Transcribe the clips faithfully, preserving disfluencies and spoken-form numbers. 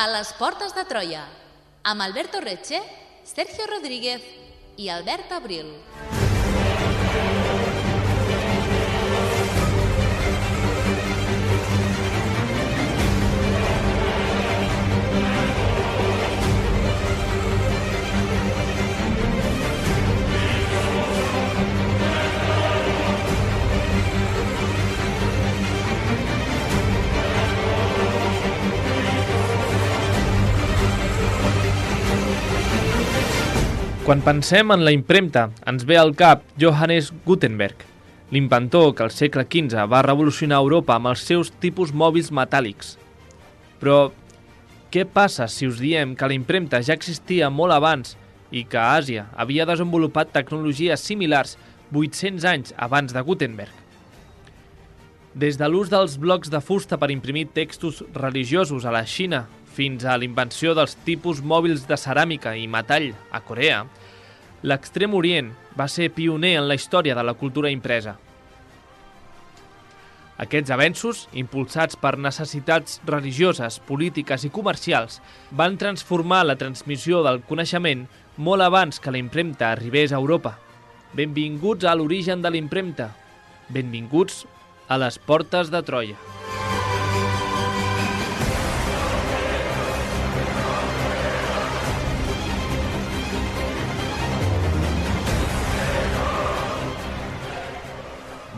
A les portes de Troia, amb Alberto Reche, Sergio Rodríguez i Albert Abril. Quan pensem en la impremta, ens ve al cap Johannes Gutenberg, l'inventor que al segle quinze va revolucionar Europa amb els seus tipus mòbils metàl·lics. Però què passa si us diem que la impremta ja existia molt abans i que Àsia havia desenvolupat tecnologies similars vuit-cents anys abans de Gutenberg? Des de l'ús dels blocs de fusta per imprimir textos religiosos a la Xina fins a l'invenció dels tipus mòbils de ceràmica i metall a Corea, l'Extrem Orient va ser pioner en la història de la cultura impresa. Aquests avenços, impulsats per necessitats religioses, polítiques i comercials, van transformar la transmissió del coneixement molt abans que la impremta arribés a Europa. Benvinguts a l'origen de la impremta. Benvinguts a les portes de Troia.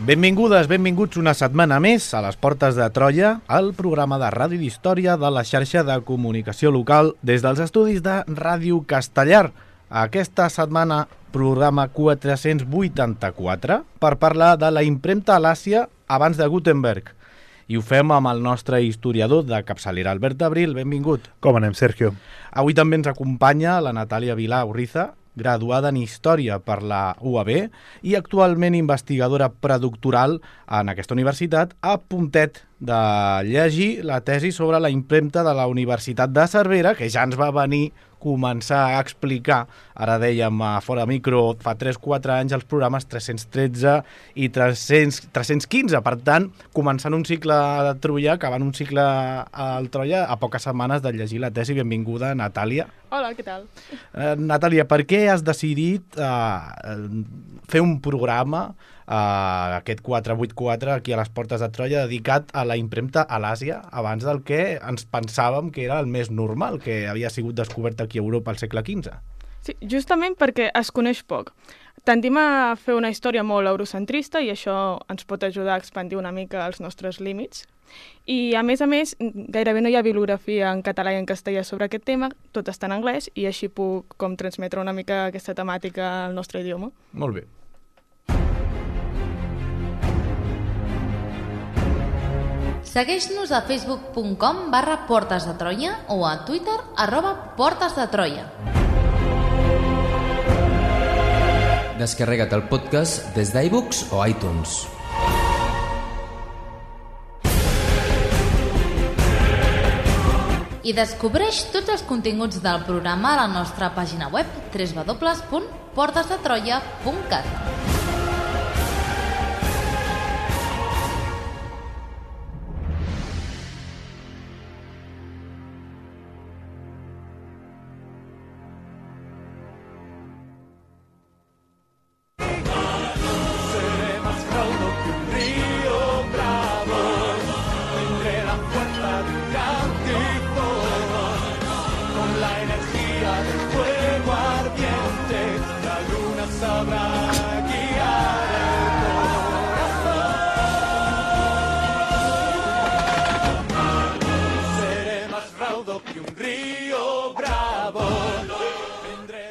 Benvingudes, benvinguts una setmana més a les Portes de Troia, el programa de ràdio d'història de la xarxa de comunicació local des dels estudis de Ràdio Castellar. Aquesta setmana, programa quatre-cents vuitanta-quatre, per parlar de la impremta a l'Àsia abans de Gutenberg. I ho fem amb el nostre historiador de capçalera, Albert Abril. Benvingut. Com anem, Sergio? Avui també ens acompanya la Natàlia Vilà Urriza, graduada en Història per la U A B i actualment investigadora predoctoral en aquesta universitat, a puntet de llegir la tesi sobre la impremta de la Universitat de Cervera, que ja ens va venir començar a explicar, ara dèiem a fora micro, fa tres quatre anys, els programes tres-cents tretze i tres-cents quinze. Per tant, començant un cicle de Troia, acabant un cicle al Troia, a poques setmanes de llegir la tesi. Benvinguda, Natàlia. Hola, què tal? Eh, Natàlia, per què has decidit eh, fer un programa, eh, aquest quatre vuitanta-quatre, aquí a les Portes de Troia, dedicat a la impremta a l'Àsia, abans del que ens pensàvem que era el més normal, que havia sigut descobert aquí a Europa al segle quinze? Sí, justament perquè es coneix poc. Tendim a fer una història molt eurocentrista i això ens pot ajudar a expandir una mica els nostres límits. I, a més a més, gairebé no hi ha bibliografia en català i en castellà sobre aquest tema, tot està en anglès, i així puc com transmetre una mica aquesta temàtica al nostre idioma. Molt bé. Segueix-nos a facebook punt com barra Portes de Troia o a Twitter arroba Portes de Troia. Descarrega't el podcast des d'iBooks o iTunes. I descobreix tots els continguts del programa a la nostra pàgina web w w w punt portes de troia punt cat.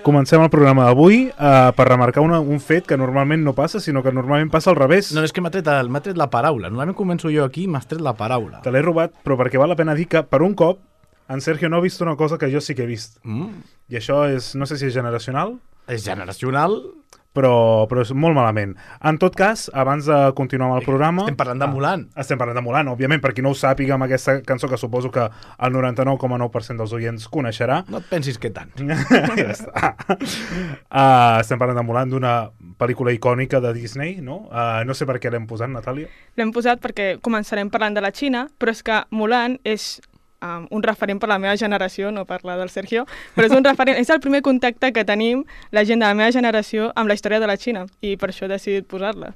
Comencem el programa d'avui uh, per remarcar una, un fet que normalment no passa, sinó que normalment passa al revés. No, és que m'ha tret, el, m'ha tret la paraula. Normalment començo jo aquí i m'has tret la paraula. Te l'he robat, però perquè val la pena dir que per un cop en Sergio no ha vist una cosa que jo sí que he vist. Mm. I això és, no sé si és generacional. És generacional... Però, però és molt malament. En tot cas, abans de continuar amb el programa... Estem parlant de Mulan. Ah, estem parlant de Mulan, òbviament, per qui no ho sàpiga amb aquesta cançó que suposo que el noranta-nou coma nou per cent dels oients coneixerà. No et pensis que tant. Ja està. Uh, estem parlant de Mulan, d'una pel·lícula icònica de Disney, no? Uh, no sé per què l'hem posat, Natàlia. L'hem posat perquè començarem parlant de la Xina, però és que Mulan és um, un referent per la meva generació, no per la del Sergio, però és un referent, és el primer contacte que tenim la gent de la meva generació amb la història de la Xina, i per això he decidit posar-la.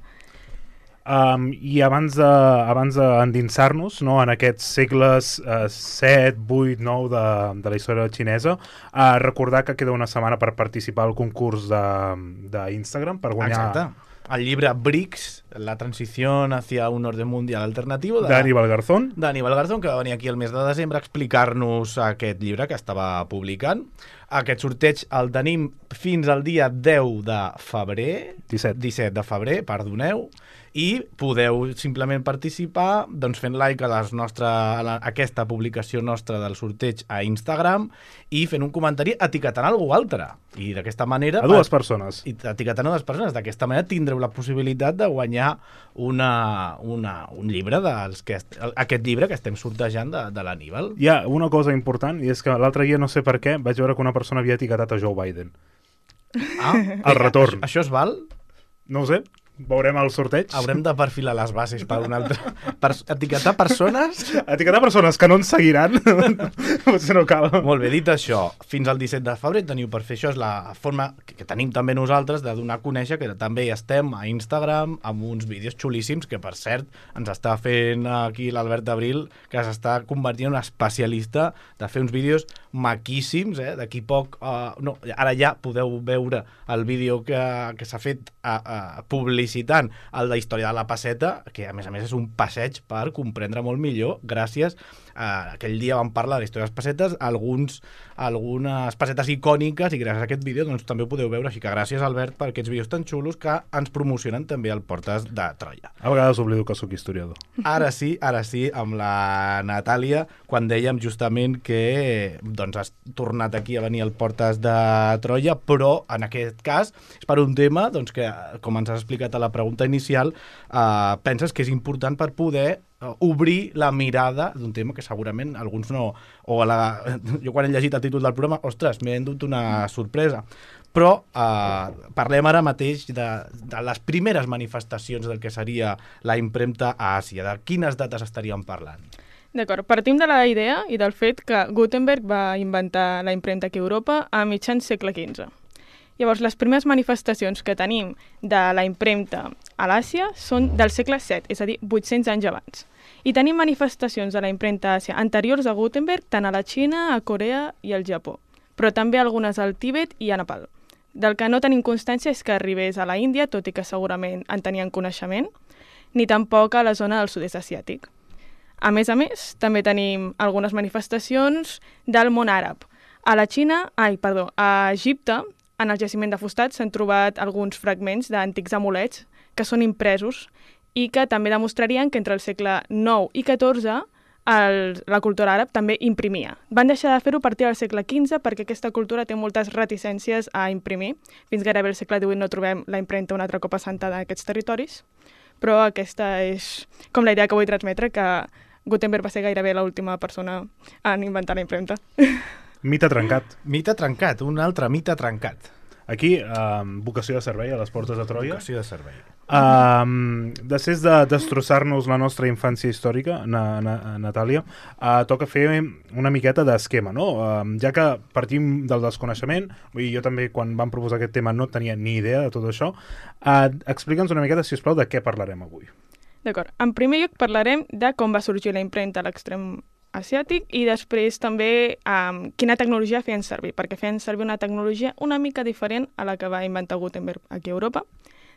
Um, I abans de, abans d'endinsar-nos, no, en aquests segles uh, set, vuit, nou de, de la història xinesa, uh, recordar que queda una setmana per participar al concurs d'Instagram per guanyar... Exacte. El llibre BRICS, la transició hacia un orden mundial alternativo de d'Aníbal Garzón. d'Aníbal Garzón, que va venir aquí el mes de desembre a explicar-nos aquest llibre que estava publicant. Aquest sorteig el tenim fins al dia deu de febrer, disset. disset de febrer, perdoneu, i podeu simplement participar doncs, fent like a, les nostre, a, la, a aquesta publicació nostra del sorteig a Instagram i fent un comentari etiquetant algú altre. I d'aquesta manera... A dues persones. I etiquetant a dues persones. D'aquesta manera tindreu la possibilitat de guanyar una, una, un llibre, dels que est, aquest llibre que estem sortejant de, de l'Aníbal. Hi ha una cosa important, i és que l'altre dia, no sé per què, vaig veure que una persona havia etiquetat a Joe Biden. Ah, El retorn. Això, això es val? No ho sé, veurem el sorteig. Haurem de perfilar les bases per un altre... Per etiquetar persones... Etiquetar persones que no ens seguiran, potser no cal. Molt bé, dit això, fins al disset de febrer teniu per fer això, és la forma que tenim també nosaltres de donar a conèixer que també hi estem a Instagram amb uns vídeos xulíssims que, per cert, ens està fent aquí l'Albert Abril, que s'està convertint en un especialista de fer uns vídeos maquíssims, eh? D'aquí poc... Uh, no, ara ja podeu veure el vídeo que, que s'ha fet a, a publicitant el de Història de la Passeta, que a més a més és un passeig per comprendre molt millor, gràcies a aquell dia vam parlar de la història de les pessetes, alguns, algunes pessetes icòniques, i gràcies a aquest vídeo doncs, també ho podeu veure, així que gràcies Albert per aquests vídeos tan xulos que ens promocionen també al Portes de Troia. A vegades oblido que sóc historiador. Ara sí, ara sí, amb la Natàlia, quan dèiem justament que doncs, has tornat aquí a venir al Portes de Troia, però en aquest cas és per un tema doncs, que, com ens has explicat a la pregunta inicial, eh, penses que és important per poder uh, obrir la mirada d'un tema que segurament alguns no... O a la, jo quan he llegit el títol del programa, ostres, m'he endut una sorpresa. Però eh, parlem ara mateix de, de les primeres manifestacions del que seria la impremta a Àsia. De quines dates estaríem parlant? D'acord, partim de la idea i del fet que Gutenberg va inventar la impremta aquí a Europa a mitjans segle quinze. Llavors, les primeres manifestacions que tenim de la impremta a l'Àsia són del segle set, és a dir, vuit-cents anys abans. I tenim manifestacions de la impremta a Àsia anteriors a Gutenberg, tant a la Xina, a Corea i al Japó, però també algunes al Tibet i a Nepal. Del que no tenim constància és que arribés a la Índia, tot i que segurament en tenien coneixement, ni tampoc a la zona del sud-est asiàtic. A més a més, també tenim algunes manifestacions del món àrab. A la Xina, ai, perdó, a Egipte, en el jaciment de Fustat s'han trobat alguns fragments d'antics amulets que són impresos i que també demostrarien que entre el segle nou i catorze el, la cultura àrab també imprimia. Van deixar de fer-ho a partir del segle quinze perquè aquesta cultura té moltes reticències a imprimir. Fins gairebé el segle divuit no trobem la impremta un altre cop assentada en aquests territoris, però aquesta és com la idea que vull transmetre, que Gutenberg va ser gairebé l'última persona en inventar la impremta. Mite trencat. Mite trencat, un altre mite trencat. Aquí, eh, vocació de servei a les Portes de Troia. Vocació de servei. Uh, després de destrossar-nos la nostra infància històrica, na, na, Natàlia, uh, toca fer una miqueta d'esquema, no? Uh, ja que partim del desconeixement, vull dir, jo també quan vam proposar aquest tema no tenia ni idea de tot això, uh, explica'ns una miqueta, si us plau, de què parlarem avui. D'acord. En primer lloc parlarem de com va sorgir la impremta a l'extrem asiàtic i després també um, quina tecnologia feien servir, perquè feien servir una tecnologia una mica diferent a la que va inventar Gutenberg aquí a Europa.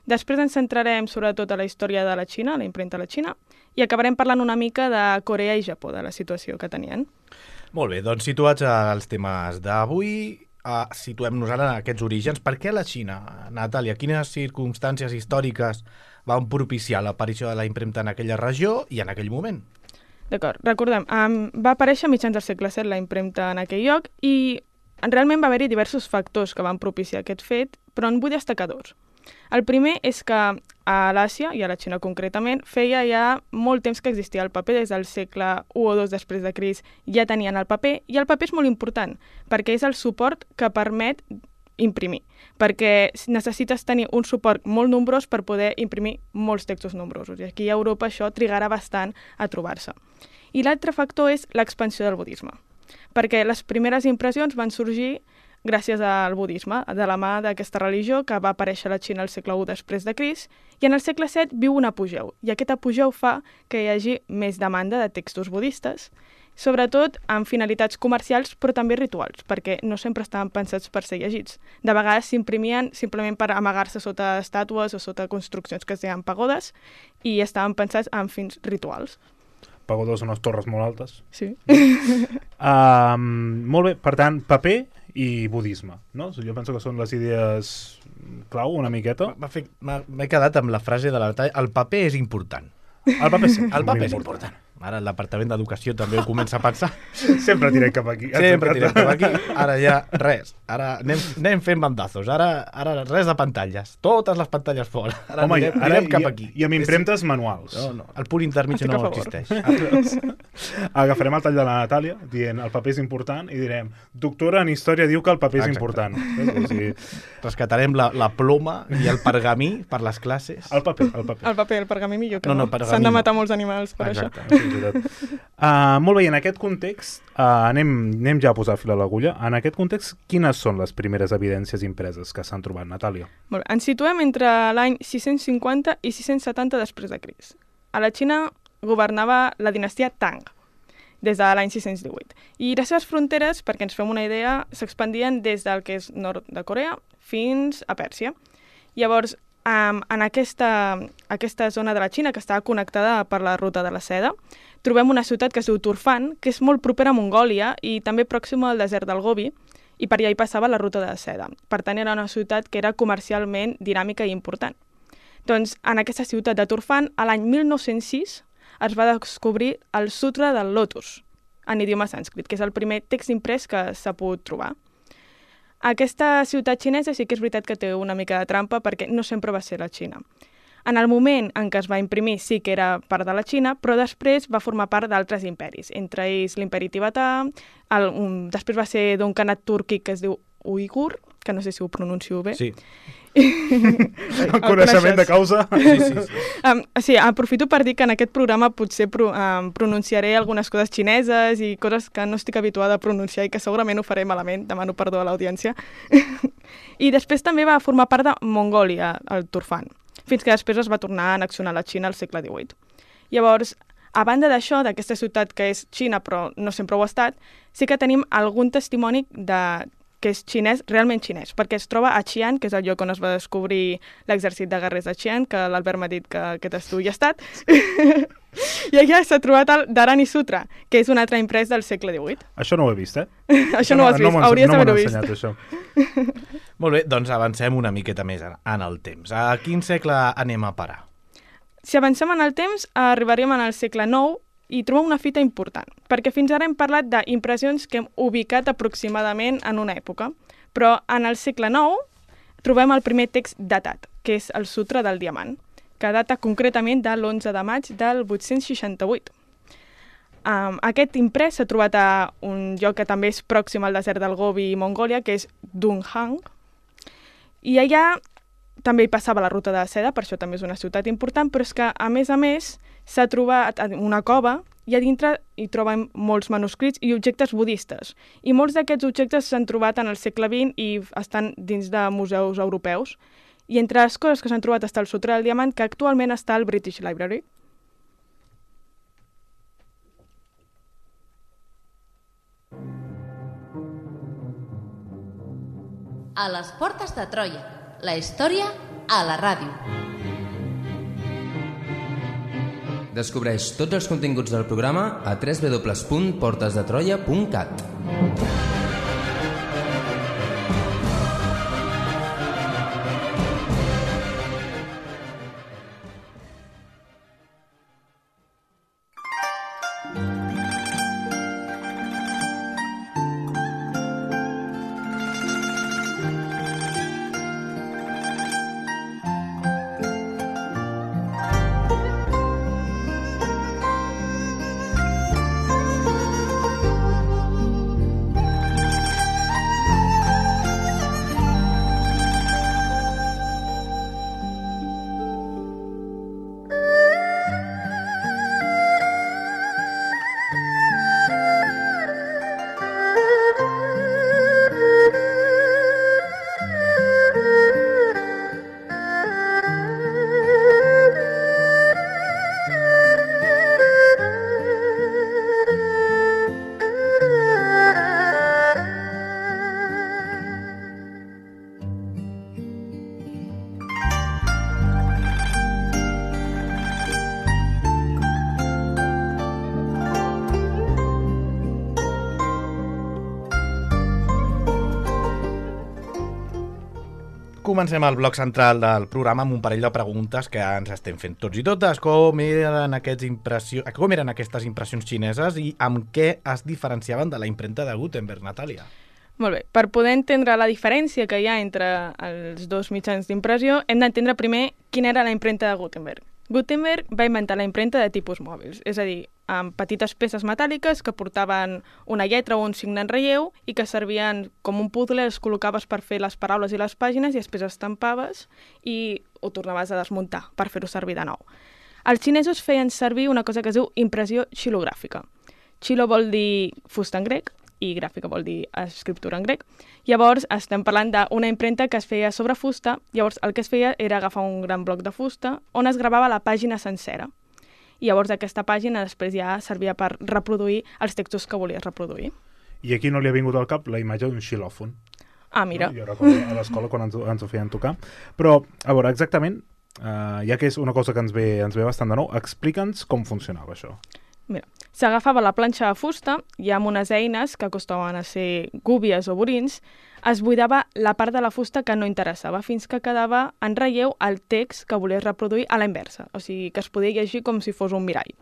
Després ens centrarem sobretot a la història de la Xina, la impremta a la Xina, i acabarem parlant una mica de Corea i Japó, de la situació que tenien. Molt bé, doncs situats als temes d'avui, uh, situem-nos ara en aquests orígens. Per què la Xina, Natàlia? Quines circumstàncies històriques van propiciar l'aparició de la impremta en aquella regió i en aquell moment? D'acord, recordem, um, va aparèixer a mitjans del segle set la impremta en aquell lloc i realment va haver-hi diversos factors que van propiciar aquest fet, però en vull destacar dos. El primer és que a l'Àsia, i a la Xina concretament, feia ja molt temps que existia el paper, des del segle u o dos després de Crist ja tenien el paper, i el paper és molt important, perquè és el suport que permet imprimir, perquè necessites tenir un suport molt nombrós per poder imprimir molts textos nombrosos, i aquí a Europa això trigarà bastant a trobar-se. I l'altre factor és l'expansió del budisme, perquè les primeres impressions van sorgir gràcies al budisme, de la mà d'aquesta religió que va aparèixer a la Xina al segle u després de Crist, i en el segle set viu un apogeu, i aquest apogeu fa que hi hagi més demanda de textos budistes, sobretot amb finalitats comercials però també rituals, perquè no sempre estaven pensats per ser llegits. De vegades s'imprimien simplement per amagar-se sota estàtues o sota construccions que es deien pagodes i estaven pensats amb fins rituals. Pagodes són unes torres molt altes. Sí. Uh, molt bé, per tant, paper i budisme, no? Jo penso que són les idees clau una miqueta. M'he quedat amb la frase de la Natàlia, el paper és important. El paper sí, el paper és important. Ara el Departament d'Educació també ho comença a pensar. Sempre tirem cap aquí. Sempre tirem cap aquí. Ara ja res. Ara anem, anem fent bandazos. Ara, ara res de pantalles. Totes les pantalles fora. Ara Home, anirem, ara anirem cap i, aquí. I amb impremtes manuals. No, no. El punt intermig no existeix. Agafarem el tall de la Natàlia dient el paper és important i direm doctora en història diu que el paper és Exacte. important. O sigui, rescatarem la, la ploma i el pergamí per les classes. el paper, el paper. El paper, el pergamí millor que No, no. no, pergamí S'han de no. matar molts animals per Exacte. això. Uh, molt bé, en aquest context, uh, anem, anem ja a posar fil a l'agulla. En aquest context, quines són les primeres evidències impreses que s'han trobat, Natàlia? Molt bé. Ens situem entre l'any sis-cents cinquanta i sis-cents setanta després de Crist. A la Xina governava la dinastia Tang, des de l'any sis-cents divuit. I les seves fronteres, perquè ens fem una idea, s'expandien des del que és nord de Corea fins a Pèrsia. Llavors, um, en aquesta, aquesta zona de la Xina, que estava connectada per la ruta de la seda, trobem una ciutat que es diu Turfan, que és molt propera a Mongòlia i també pròxima al desert del Gobi, i per allà hi passava la ruta de la seda. Per tant, era una ciutat que era comercialment dinàmica i important. Doncs, en aquesta ciutat de Turfan, a l'any mil nou-cents sis, es va descobrir el Sutra del Lotus, en idioma sànscrit, que és el primer text imprès que s'ha pogut trobar. Aquesta ciutat xinesa sí que és veritat que té una mica de trampa perquè no sempre va ser la Xina. En el moment en què es va imprimir sí que era part de la Xina, però després va formar part d'altres imperis, entre ells l'imperi tibetà, el, un, després va ser d'un khanat túrquic que es diu Uigur, que no sé si ho pronuncio bé. Sí. El coneixement de causa. Sí, sí, sí. Um, sí, aprofito per dir que en aquest programa potser pro, um, pronunciaré algunes coses xineses i coses que no estic habituada a pronunciar i que segurament ho faré malament, demano perdó a l'audiència. I després també va formar part de Mongòlia, el Turfan, fins que després es va tornar a annexionar la Xina al segle divuit. Llavors, a banda d'això, d'aquesta ciutat que és Xina però no sempre ho ha estat, sí que tenim algun testimoni de que és xinès, realment xinès, perquè es troba a Xi'an, que és el lloc on es va descobrir l'exèrcit de guerrers de Xi'an, que l'Albert m'ha dit que aquest estudi ha estat. I allà s'ha trobat el Dharani Sutra, que és un altre imprès del segle divuit. Això no ho he vist, eh? Això no ho has vist, m'ho hauries no d'haver-ho m'ho han vist. ensenyat, això. Molt bé, doncs avancem una miqueta més en, en el temps. A quin segle anem a parar? Si avancem en el temps, arribaríem en el segle nou i trobem una fita important, perquè fins ara hem parlat d'impressions que hem ubicat aproximadament en una època, però en el segle nou trobem el primer text datat, que és el Sutra del Diamant, que data concretament de l'onze de maig del vuit-cents seixanta-vuit. Um, aquest imprès s'ha trobat a un lloc que també és pròxim al desert del Gobi i Mongòlia, que és Dunhuang, i allà també hi passava la ruta de la seda, per això també és una ciutat important, però és que, a més a més, s'ha trobat una cova i a dintre hi trobem molts manuscrits i objectes budistes. I molts d'aquests objectes s'han trobat en el segle vint i estan dins de museus europeus. I entre les coses que s'han trobat està el Sutra del Diamant, que actualment està al British Library. A les portes de Troia, la història a la ràdio. Descobreix tots els continguts del programa a w w w punt portes de troia punt cat. Comencem el bloc central del programa amb un parell de preguntes que ens estem fent tots i totes. Com eren, aquests impressió... Com eren aquestes impressions xineses i amb què es diferenciaven de la impremta de Gutenberg, Natàlia? Molt bé. Per poder entendre la diferència que hi ha entre els dos mitjans d'impressió, hem d'entendre primer quina era la impremta de Gutenberg. Gutenberg va inventar la impremta de tipus mòbils, és a dir, amb petites peces metàl·liques que portaven una lletra o un signe en relleu i que servien com un puzzle, els col·locaves per fer les paraules i les pàgines i després estampaves i ho tornaves a desmuntar per fer-ho servir de nou. Els xinesos feien servir una cosa que es diu impressió xilogràfica. Xilo vol dir fusta en grec i gràfica vol dir escriptura en grec. Llavors estem parlant d'una impremta que es feia sobre fusta, llavors el que es feia era agafar un gran bloc de fusta on es gravava la pàgina sencera. I llavors aquesta pàgina després ja servia per reproduir els textos que volies reproduir. I aquí no li ha vingut al cap la imatge d'un xilòfon. Ah, mira. No? Jo recordo a l'escola quan ens, ens ho feien tocar. Però, a veure, exactament, uh, ja que és una cosa que ens ve, ens ve bastant de nou, explica'ns com funcionava això. Mira, s'agafava la planxa de fusta i amb unes eines que acostaven a ser gúbies o burins, es buidava la part de la fusta que no interessava fins que quedava en relleu el text que volies reproduir a la inversa, o sigui que es podia llegir com si fos un mirall.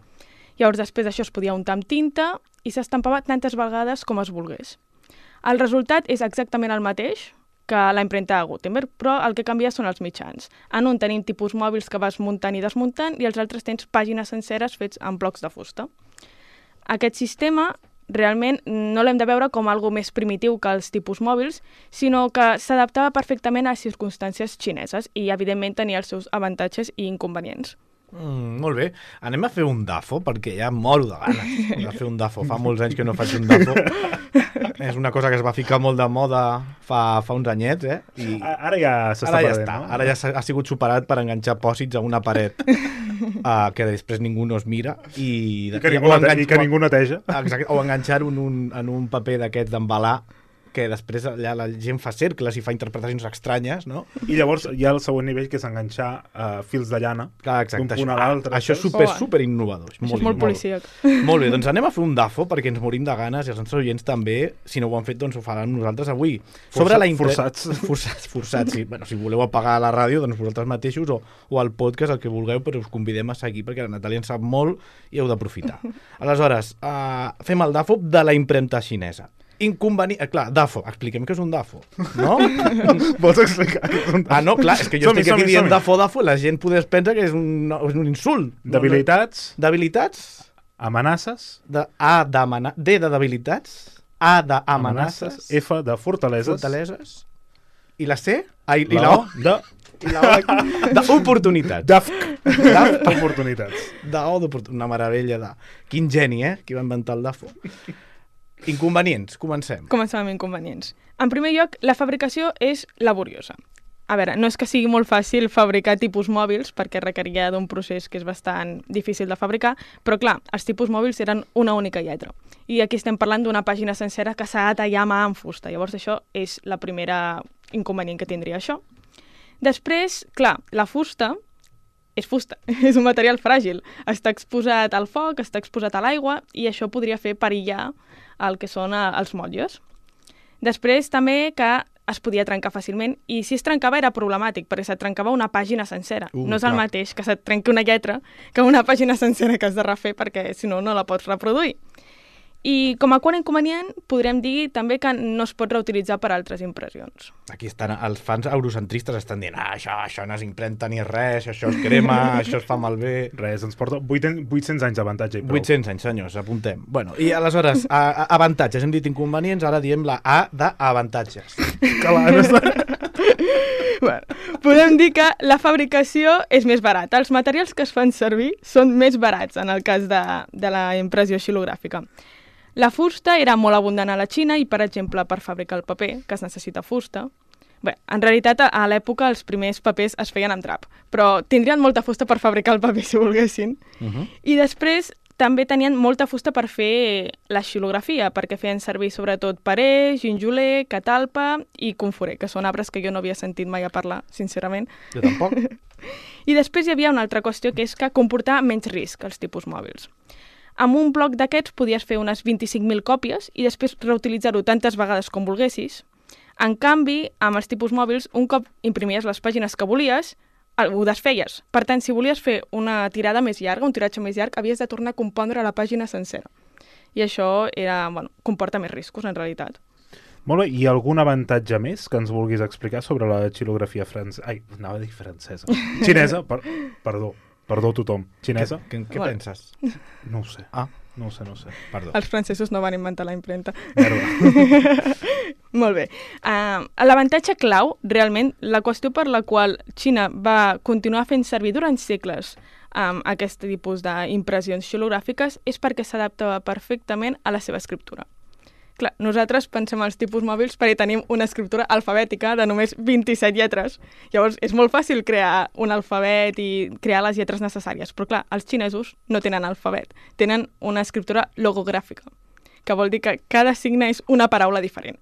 Llavors després això es podia untar amb tinta i s'estampava tantes vegades com es volgués. El resultat és exactament el mateix que la impremta de Gutenberg, però el que canvia són els mitjans. En un tenim tipus mòbils que vas muntant i desmuntant i els altres tens pàgines senceres fets amb blocs de fusta. Aquest sistema realment no l'hem de veure com algo més primitiu que els tipus mòbils, sinó que s'adaptava perfectament a les circumstàncies xineses i, evidentment, tenia els seus avantatges i inconvenients. Mm, molt bé. Anem a fer un dafo, perquè ja moro de ganes de fer un dafo. Fa molts anys que no faig un dafo. És una cosa que es va ficar molt de moda fa, fa uns anyets, eh? I ara ja s'està ara ja perdent, està. no? Ara ja ha sigut superat per enganxar pòsits a una paret uh, que després ningú no es mira i, I que ningú, o nete enganx- i que ningú neteja. Exacte, o enganxar-ho en un, en un paper d'aquests d'embalar que després allà la gent fa cercles i fa interpretacions estranyes, no? I llavors hi ha el següent nivell, que és enganxar uh, fils de llana Clar, exacte, d'un punt això, a l'altre. això és saps? super, Oh, super innovador. Això és molt policíac. Molt bé, doncs anem a fer un dafo perquè ens morim de ganes i els nostres oients també, si no ho han fet, doncs ho faran nosaltres avui. Força- la impre- forçats. Forçats, forçats, sí. Bueno, si voleu apagar la ràdio, doncs vosaltres mateixos o, o el podcast, el que vulgueu, però us convidem a seguir perquè la Natàlia en sap molt i heu d'aprofitar. Aleshores, uh, fem el dafo de la impremta xinesa. Inconvenient... Eh, clar, dafo. Expliquem què és un dafo, no? Vols explicar què és un dafo? Ah, no, clar, és que jo Som-hi, estic aquí som-hi, dient som-hi. dafo, dafo, la gent podés pensar que és un, és un insult. Debilitats, No, no. Debilitats? amenaces, De, A d'amana... D de debilitats, A d'amenaces, F de fortaleses, fortaleses, i la C? Ah, i, i la la O O? de I la O d'oportunitats. d'F d'oportunitats. De O d'oportunitats. Una meravella de... Quin geni, eh? Qui va inventar el dafo. Inconvenients, comencem. Comencem amb inconvenients. En primer lloc, la fabricació és laboriosa. A veure, no és que sigui molt fàcil fabricar tipus mòbils, perquè requeria d'un procés que és bastant difícil de fabricar, però clar, els tipus mòbils eren una única lletra. I aquí estem parlant d'una pàgina sencera que s'ha de tallar a mà amb fusta. Llavors això és la primera inconvenient que tindria això. Després, clar, la fusta és fusta, és un material fràgil. Està exposat al foc, està exposat a l'aigua i això podria fer perillar el que són eh, els motlles. Després també que es podia trencar fàcilment i si es trencava era problemàtic perquè se't trencava una pàgina sencera. Uh, no és el clar. mateix que se't trenqui una lletra que una pàgina sencera que has de refer perquè si no, no la pots reproduir. I com a quart inconvenient podrem dir també que no es pot reutilitzar per altres impressions. Aquí estan, els fans eurocentristes estan dient ah, això, això no s'impremta ni res, això es crema, això es fa malbé... Res, ens porta vuit-cents anys d'avantatge i prou. vuit-cents anys, senyors, apuntem. Bueno, i aleshores, a, a, avantatges, hem dit inconvenients, ara diem la A d'avantatges. Que l'Anna està... Bueno, podem dir que la fabricació és més barata. Els materials que es fan servir són més barats en el cas de, de la impressió xilogràfica. La fusta era molt abundant a la Xina i, per exemple, per fabricar el paper, que es necessita fusta. Bé, en realitat, a l'època els primers papers es feien amb drap, però tindrien molta fusta per fabricar el paper si volguessin. Uh -huh. I després també tenien molta fusta per fer la xilografia, perquè feien servir sobretot parer, ginjoler, catalpa i conforer, que són arbres que jo no havia sentit mai a parlar, sincerament. Jo tampoc. I després hi havia una altra qüestió, que és que comportava menys risc els tipus mòbils. Amb un bloc d'aquests podies fer unes vint-i-cinc mil còpies i després reutilitzar-ho tantes vegades com volguessis. En canvi, amb els tipus mòbils, un cop imprimies les pàgines que volies, ho desfeies. Per tant, si volies fer una tirada més llarga, un tiratge més llarg, havies de tornar a compondre la pàgina sencera. I això era, bueno, comporta més riscos, en realitat. Molt bé, i algun avantatge més que ens vulguis explicar sobre la xilografia francesa? Ai, anava a dir francesa. Xinesa, per... perdó, perdó tothom. Xinesa? Què, què Bueno. penses? No ho sé. Ah, No ho sé, no ho sé. perdó. Els francesos no van inventar la impremta. Merda. Molt bé. Uh, L'avantatge clau, realment, la qüestió per la qual Xina va continuar fent servir durant segles um, aquest tipus d'impressions xilogràfiques és perquè s'adaptava perfectament a la seva escriptura. Clar, nosaltres pensem als tipus mòbils perquè tenim una escriptura alfabètica de només vint-i-set lletres. Llavors, és molt fàcil crear un alfabet i crear les lletres necessàries. Però clar, els xinesos no tenen alfabet. Tenen una escriptura logogràfica, que vol dir que cada signe és una paraula diferent.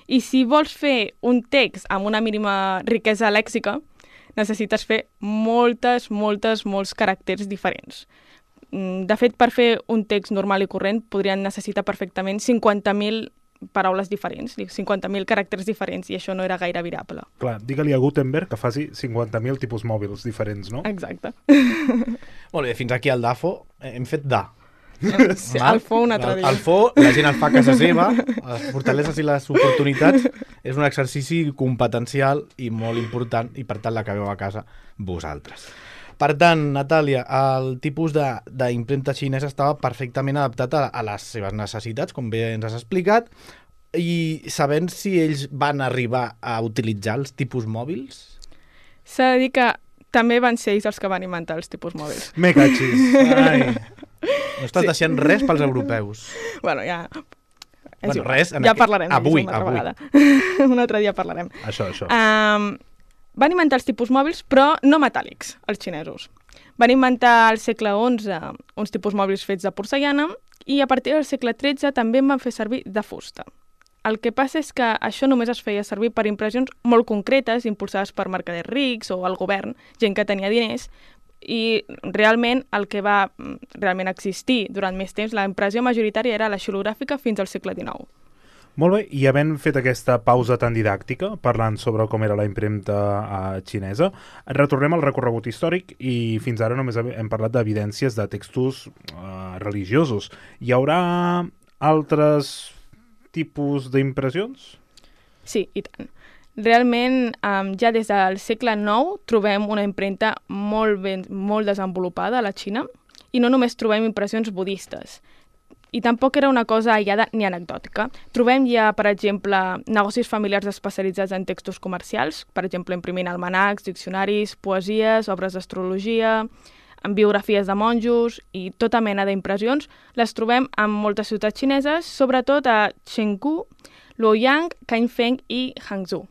I si vols fer un text amb una mínima riquesa lèxica, necessites fer moltes, moltes, molts caràcters diferents. De fet, per fer un text normal i corrent podrien necessitar perfectament cinquanta mil paraules diferents, cinquanta mil caràcters diferents, i això no era gaire viable. Clar, digue-li a Gutenberg que faci cinquanta mil tipus mòbils diferents, no? Exacte. Molt bé, fins aquí al DAFO. Hem fet da. Sí, el fo un altre dia. El fo, la gent el fa a casa seva, les fortaleses i les oportunitats, és un exercici competencial i molt important, i per tant l'acabeu a casa vosaltres. Per tant, Natàlia, el tipus d'impremta xinesa estava perfectament adaptat a, a les seves necessitats, com bé ens has explicat, i sabent si ells van arribar a utilitzar els tipus mòbils? S'ha de dir que també van ser ells els que van inventar els tipus mòbils. Me cachis. Ai. No estàs sí. deixant res pels europeus. Bueno, ja... Bueno, igual. res, en ja aquest... parlarem avui, una altra avui. vegada. Un altre dia parlarem. Això, això. Um, van inventar els tipus mòbils, però no metàl·lics, els xinesos. Van inventar al segle onze uns tipus mòbils fets de porcellana i a partir del segle tretze també en van fer servir de fusta. El que passa és que això només es feia servir per impressions molt concretes, impulsades per mercaders rics o el govern, gent que tenia diners, i realment el que va realment existir durant més temps, la impressió majoritària era la xilogràfica fins al segle dinou. Molt bé, i havent fet aquesta pausa tan didàctica, parlant sobre com era la impremta uh, xinesa, retornem al recorregut històric i fins ara només hem parlat d'evidències de textos uh, religiosos. Hi haurà altres tipus d'impressions? Sí, i tant. Realment, um, ja des del segle nou trobem una impremta molt, ben, molt desenvolupada a la Xina i no només trobem impressions budistes. I tampoc era una cosa aïllada ni anecdòtica. Trobem ja, per exemple, negocis familiars especialitzats en textos comercials, per exemple, imprimint almanacs, diccionaris, poesies, obres d'astrologia, en biografies de monjos i tota mena d'impressions. Les trobem en moltes ciutats xineses, sobretot a Chengdu, Luoyang, Kaifeng i Hangzhou.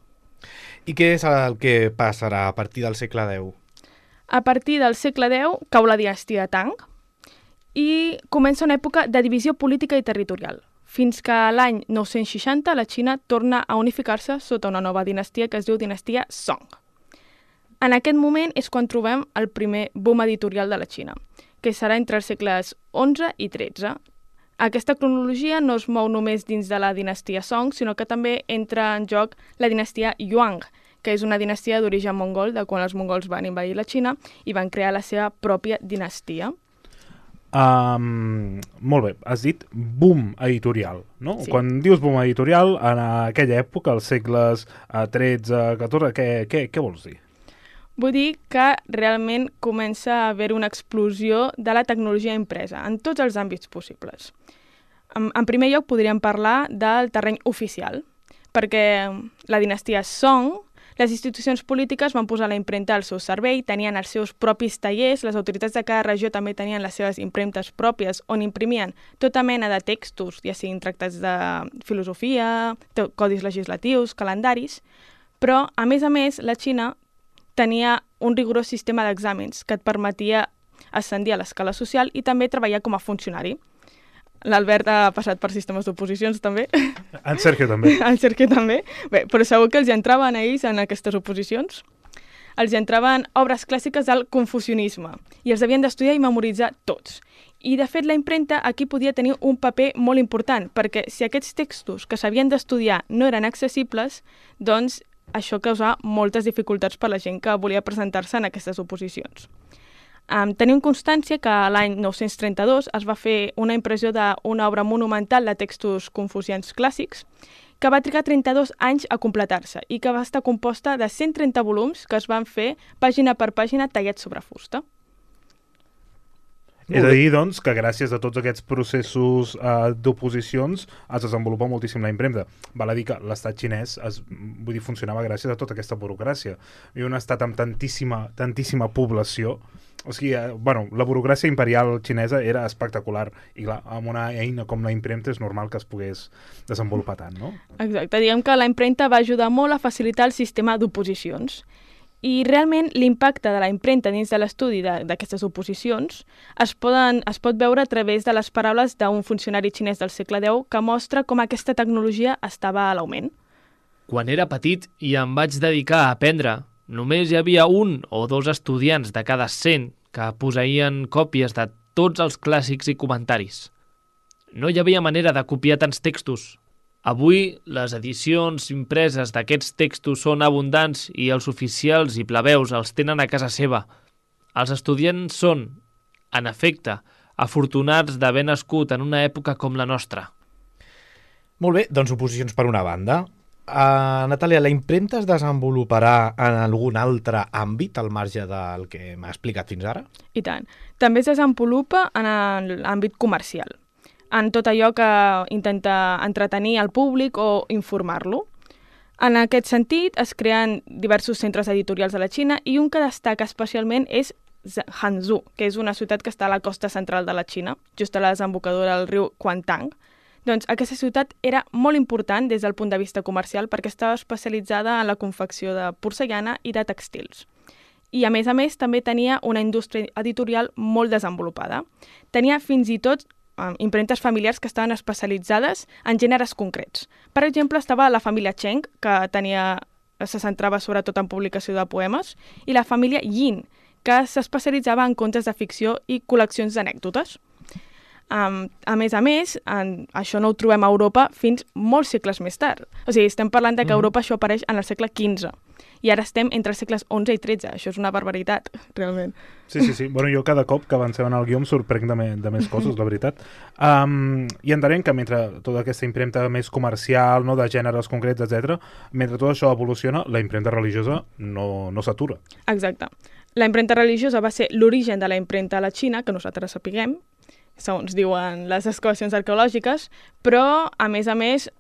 I què és el que passarà a partir del segle deu? A partir del segle deu cau la dinastia Tang i comença una època de divisió política i territorial, fins que l'any nou-cents seixanta la Xina torna a unificar-se sota una nova dinastia que es diu dinastia Song. En aquest moment és quan trobem el primer boom editorial de la Xina, que serà entre els segles onze i tretze. Aquesta cronologia no es mou només dins de la dinastia Song, sinó que també entra en joc la dinastia Yuan, que és una dinastia d'origen mongol, de quan els mongols van invadir la Xina i van crear la seva pròpia dinastia. Um, molt bé, has dit boom editorial, no? Sí. Quan dius boom editorial, en aquella època, als segles tretze, catorze, què, què, què vols dir? Vull dir que realment comença a haver una explosió de la tecnologia impresa en tots els àmbits possibles. En, en primer lloc podríem parlar del terreny oficial, perquè la dinastia Song, les institucions polítiques van posar la impremta al seu servei, tenien els seus propis tallers, les autoritats de cada regió també tenien les seves impremtes pròpies on imprimien tota mena de textos, ja siguin tractats de filosofia, codis legislatius, calendaris, però, a més a més, la Xina tenia un rigorós sistema d'exàmens que et permetia ascendir a l'escala social i també treballar com a funcionari. L'Albert ha passat per sistemes d'oposicions, també. En Sergio també. En Sergio també. Bé, però segur que els hi entraven a ells en aquestes oposicions. Els hi entraven obres clàssiques del confucianisme i els havien d'estudiar i memoritzar tots. I, de fet, la impremta aquí podia tenir un paper molt important, perquè si aquests textos que s'havien d'estudiar no eren accessibles, doncs això causava moltes dificultats per la gent que volia presentar-se en aquestes oposicions. Um, tenim constància que l'any nou-cents trenta-dos es va fer una impressió d'una obra monumental de textos confucians clàssics que va trigar trenta-dos anys a completar-se i que va estar composta de cent trenta volums que es van fer pàgina per pàgina tallats sobre fusta. És a dir, doncs, que gràcies a tots aquests processos eh, d'oposicions es desenvolupa moltíssim la impremta. Val a dir que l'estat xinès es, vull dir, funcionava gràcies a tota aquesta burocràcia. I un estat amb tantíssima, tantíssima població, o sigui, eh, bueno, la burocràcia imperial xinesa era espectacular i clar, amb una eina com la impremta és normal que es pogués desenvolupar tant, no? Exacte, diguem que la impremta va ajudar molt a facilitar el sistema d'oposicions. I realment l'impacte de la impremta dins de l'estudi d'aquestes oposicions es, poden, es pot veure a través de les paraules d'un funcionari xinès del segle deu que mostra com aquesta tecnologia estava a l'augment. Quan era petit i em vaig dedicar a aprendre, només hi havia un o dos estudiants de cada cent que posseïen còpies de tots els clàssics i comentaris. No hi havia manera de copiar tants textos. Avui, les edicions impreses d'aquests textos són abundants i els oficials i plebeus els tenen a casa seva. Els estudiants són, en efecte, afortunats d'haver nascut en una època com la nostra. Molt bé, doncs oposicions per una banda. Uh, Natàlia, la impremta es desenvoluparà en algun altre àmbit al marge del que m'ha explicat fins ara? I tant. També es desenvolupa en l'àmbit comercial, en tot allò que intenta entretenir el públic o informar-lo. En aquest sentit, es creen diversos centres editorials a la Xina i un que destaca especialment és Hangzhou, que és una ciutat que està a la costa central de la Xina, just a la desembocadura del riu Kuantang. Doncs aquesta ciutat era molt important des del punt de vista comercial perquè estava especialitzada en la confecció de porcellana i de textils. I, a més a més, també tenia una indústria editorial molt desenvolupada. Tenia fins i tot impremtes familiars que estaven especialitzades en gèneres concrets. Per exemple, estava la família Cheng, que tenia, se centrava sobretot en publicació de poemes, i la família Yin, que s'especialitzava en contes de ficció i col·leccions d'anècdotes. Um, a més a més, en, això no ho trobem a Europa fins molts segles més tard. O sigui, estem parlant de que a Europa això apareix en el segle quinze. I ara estem entre els segles onze i tretze. Això és una barbaritat, realment. Sí, sí, sí. Bueno, jo cada cop que avancem en el guió em sorprenc de, me, de més coses, la veritat. Um, I entenem que mentre tota aquesta impremta més comercial, no, de gèneres concrets, etcètera, mentre tot això evoluciona, la impremta religiosa no, no s'atura. Exacte. La impremta religiosa va ser l'origen de la impremta a la Xina, que nosaltres sapiguem, segons diuen les excavacions arqueològiques, però, a més a més,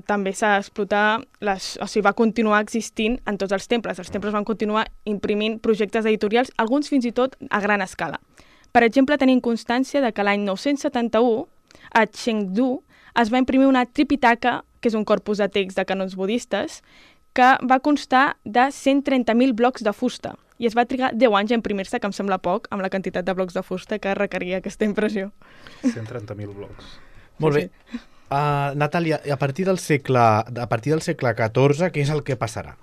també s'ha explotat, les, o sigui, va continuar existint en tots els temples. Els temples van continuar imprimint projectes editorials, alguns fins i tot a gran escala. Per exemple, tenim constància de que l'any nou-cents setanta-u, a Chengdu, es va imprimir una Tripitaka, que és un corpus de text de canons budistes, que va constar de cent trenta mil blocs de fusta. I es va trigar deu anys a imprimir-se, que em sembla poc, amb la quantitat de blocs de fusta que requeria aquesta impressió. cent trenta mil blocs. Molt bé. Uh, Natàlia, a partir del segle, a partir del segle catorze, què és el que passarà?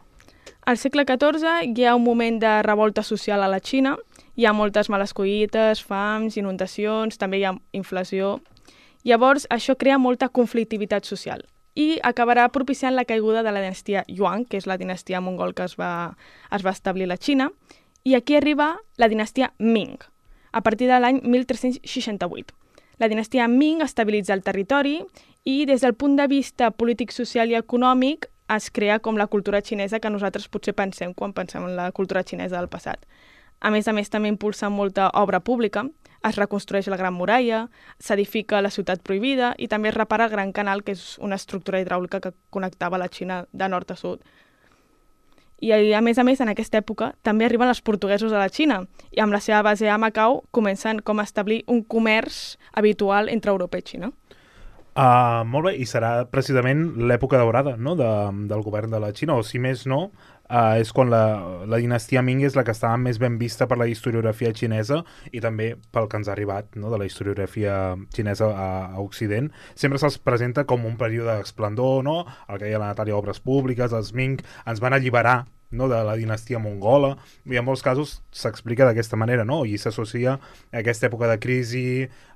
Al segle catorze hi ha un moment de revolta social a la Xina. Hi ha moltes males collites, fams, inundacions, també hi ha inflació. Llavors, això crea molta conflictivitat social i acabarà propiciant la caiguda de la dinastia Yuan, que és la dinastia mongol que es va, es va establir a la Xina, i aquí arriba la dinastia Ming, a partir de l'any mil tres-cents seixanta-vuit. La dinastia Ming estabilitza el territori i des del punt de vista polític, social i econòmic es crea com la cultura xinesa que nosaltres potser pensem quan pensem en la cultura xinesa del passat. A més a més, també impulsa molta obra pública, es reconstrueix la Gran Muralla, s'edifica la Ciutat Prohibida i també es repara el Gran Canal, que és una estructura hidràulica que connectava la Xina de nord a sud. I, a més a més, en aquesta època també arriben els portuguesos a la Xina i amb la seva base a Macau comencen com a establir un comerç habitual entre Europa i Xina. Uh, molt bé, i serà precisament l'època daurada, no?, de, del govern de la Xina, o si més no, uh, és quan la, la dinastia Ming és la que estava més ben vista per la historiografia xinesa i també pel que ens ha arribat, no?, de la historiografia xinesa a, a Occident. Sempre se'ls presenta com un període d'esplendor, no?, el que deia la Natàlia, obres públiques, els Ming ens van alliberar no, de la dinastia mongola, i en molts casos s'explica d'aquesta manera, no? I s'associa a aquesta època de crisi,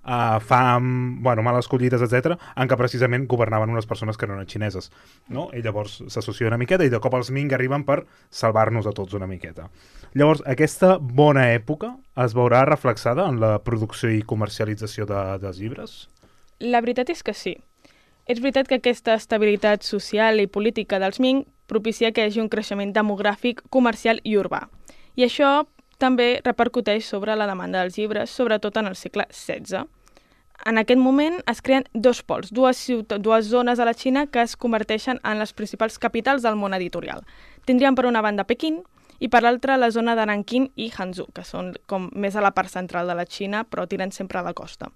a fam, bueno, males collites, etcètera, en què precisament governaven unes persones que no eren xineses, no? I llavors s'associa una miqueta i de cop els Ming arriben per salvar-nos a tots una miqueta. Llavors, aquesta bona època es veurà reflexada en la producció i comercialització de, dels llibres? La veritat és que sí. És veritat que aquesta estabilitat social i política dels Ming propicia que hi hagi un creixement demogràfic, comercial i urbà. I això també repercuteix sobre la demanda dels llibres, sobretot en el segle setze. En aquest moment es creen dos pols, dues, dues zones a la Xina que es converteixen en les principals capitals del món editorial. Tindríem per una banda Pequín i per l'altra la zona de Nanquín i Hangzhou, que són com més a la part central de la Xina, però tiren sempre a la costa.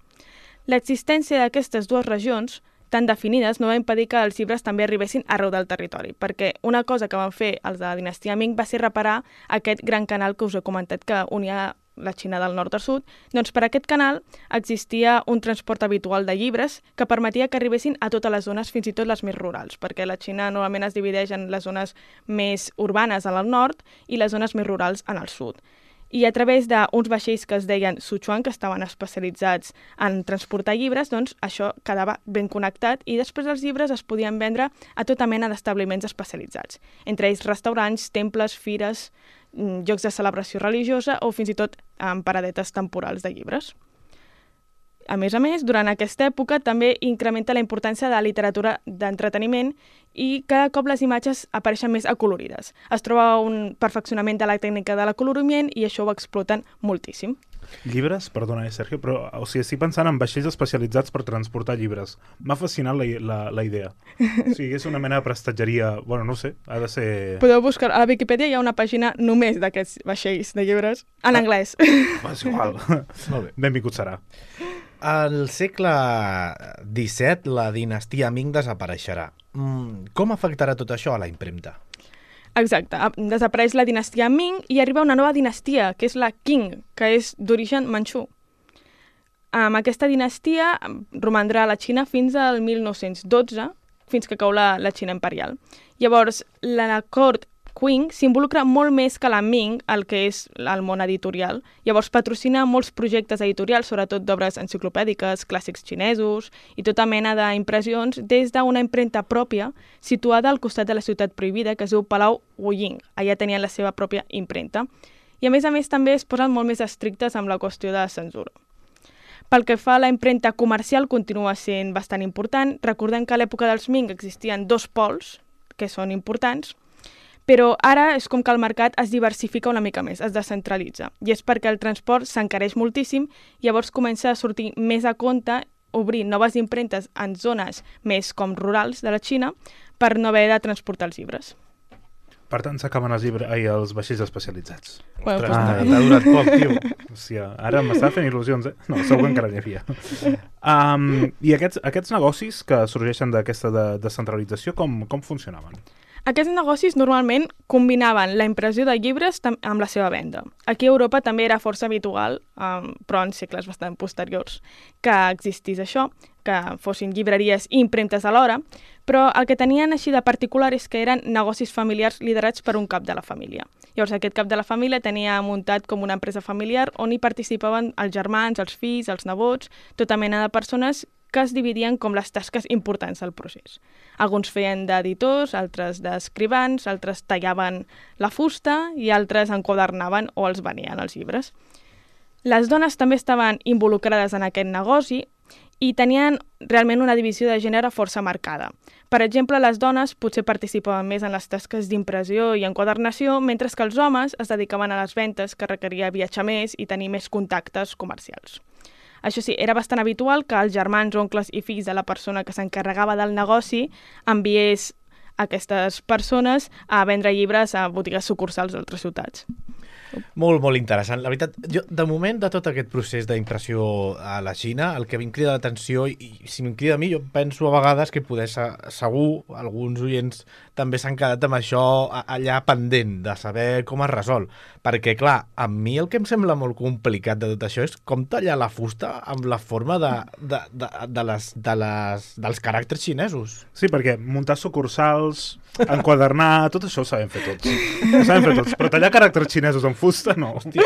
L'existència d'aquestes dues regions tan definides no va impedir que els llibres també arribessin arreu del territori, perquè una cosa que van fer els de la dinastia Ming va ser reparar aquest gran canal que us he comentat que unia la Xina del nord al sud. Doncs per aquest canal existia un transport habitual de llibres que permetia que arribessin a totes les zones, fins i tot les més rurals, perquè la Xina normalment es divideix en les zones més urbanes al nord i les zones més rurals en el sud. I a través d'uns vaixells que es deien Sichuan, que estaven especialitzats en transportar llibres, doncs això quedava ben connectat i després els llibres es podien vendre a tota mena d'establiments especialitzats, entre ells restaurants, temples, fires, llocs de celebració religiosa o fins i tot en paradetes temporals de llibres. A més a més, durant aquesta època també incrementa la importància de la literatura d'entreteniment i cada cop les imatges apareixen més acolorides. Es troba un perfeccionament de la tècnica de l'acoloriment i això ho exploten moltíssim. Llibres? Perdona, eh, Sergio, però o sigui, estic pensant en vaixells especialitzats per transportar llibres. M'ha fascinat la, la, la idea. O sigui, és una mena de prestatgeria... Bueno, no ho sé, ha de ser... Podeu buscar... A la Viquipèdia hi ha una pàgina només d'aquests vaixells de llibres en ah. anglès. Va, és igual. Molt bé. Benvingut serà. Al segle disset, la dinastia Ming desapareixerà. Com afectarà tot això a la impremta? Exacte. Desapareix la dinastia Ming i arriba una nova dinastia, que és la Qing, que és d'origen manxú. Amb aquesta dinastia romandrà a la Xina fins al mil nou-cents dotze, fins que cau la, la Xina imperial. Llavors, la cort Qing s'involucra molt més que la Ming, el que és el món editorial. Llavors patrocina molts projectes editorials, sobretot d'obres enciclopèdiques, clàssics xinesos i tota mena d'impressions des d'una impremta pròpia situada al costat de la ciutat prohibida que es diu Palau Wuying. Allà tenien la seva pròpia impremta. I a més a més també es posen molt més estrictes amb la qüestió de censura. Pel que fa a la impremta comercial continua sent bastant important. Recordem que a l'època dels Ming existien dos pols que són importants, però ara és com que el mercat es diversifica una mica més, es descentralitza. I és perquè el transport s'encareix moltíssim, llavors comença a sortir més a compte obrir noves impremtes en zones més com rurals de la Xina per no haver de transportar els llibres. Per tant, s'acaben els, llibres... Ai, els vaixells especialitzats. Bueno, Ostres, ah, t'ha durat poc, tio. Hòstia, ara m'està fent il·lusions, eh? No, segur que encara n'hi havia. Um, I aquests, aquests negocis que sorgeixen d'aquesta de, descentralització, com, com funcionaven? Aquests negocis normalment combinaven la impressió de llibres amb la seva venda. Aquí a Europa també era força habitual, um, però en segles bastant posteriors, que existís això, que fossin llibreries i impremtes alhora, però el que tenien així de particular és que eren negocis familiars liderats per un cap de la família. Llavors aquest cap de la família tenia muntat com una empresa familiar on hi participaven els germans, els fills, els nebots, tota mena de persones que es dividien com les tasques importants del procés. Alguns feien d'editors, altres d'escrivans, altres tallaven la fusta i altres enquadernaven o els venien els llibres. Les dones també estaven involucrades en aquest negoci i tenien realment una divisió de gènere força marcada. Per exemple, les dones potser participaven més en les tasques d'impressió i enquadernació, mentre que els homes es dedicaven a les ventes, que requeria viatjar més i tenir més contactes comercials. Això sí, era bastant habitual que els germans, oncles i fills de la persona que s'encarregava del negoci enviés aquestes persones a vendre llibres a botigues sucursals d'altres ciutats. Molt, molt interessant. La veritat, jo, de moment, de tot aquest procés d'impressió a la Xina, el que em crida l'atenció, i, i si em crida a mi, jo penso a vegades que poder ser, segur, alguns oients també s'han quedat amb això allà pendent, de saber com es resol. Perquè, clar, a mi el que em sembla molt complicat de tot això és com tallar la fusta amb la forma de, de, de, de les, de les, dels caràcters xinesos. Sí, perquè muntar sucursals, enquadernar, tot això ho sabem fer tots. Ho sabem fer tots, però tallar caràcters xinesos amb fusta, no. Hòstia.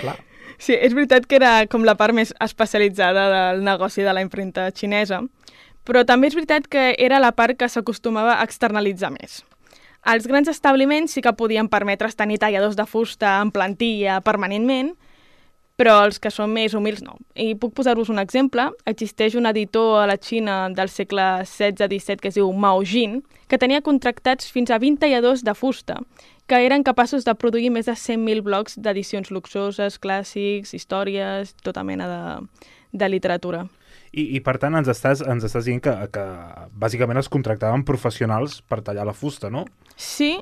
Clar. Sí, és veritat que era com la part més especialitzada del negoci de la impremta xinesa, però també és veritat que era la part que s'acostumava a externalitzar més. Els grans establiments sí que podien permetre's tenir talladors de fusta en plantilla permanentment, però els que són més humils no. I puc posar-vos un exemple. Existeix un editor a la Xina del segle setze disset que es diu Mao Jin, que tenia contractats fins a vint talladors de fusta, que eren capaços de produir més de cent mil blocs d'edicions luxoses, clàssics, històries, tota mena de, de literatura. I, i per tant ens estàs, ens estàs dient que, que bàsicament es contractaven professionals per tallar la fusta, no? Sí,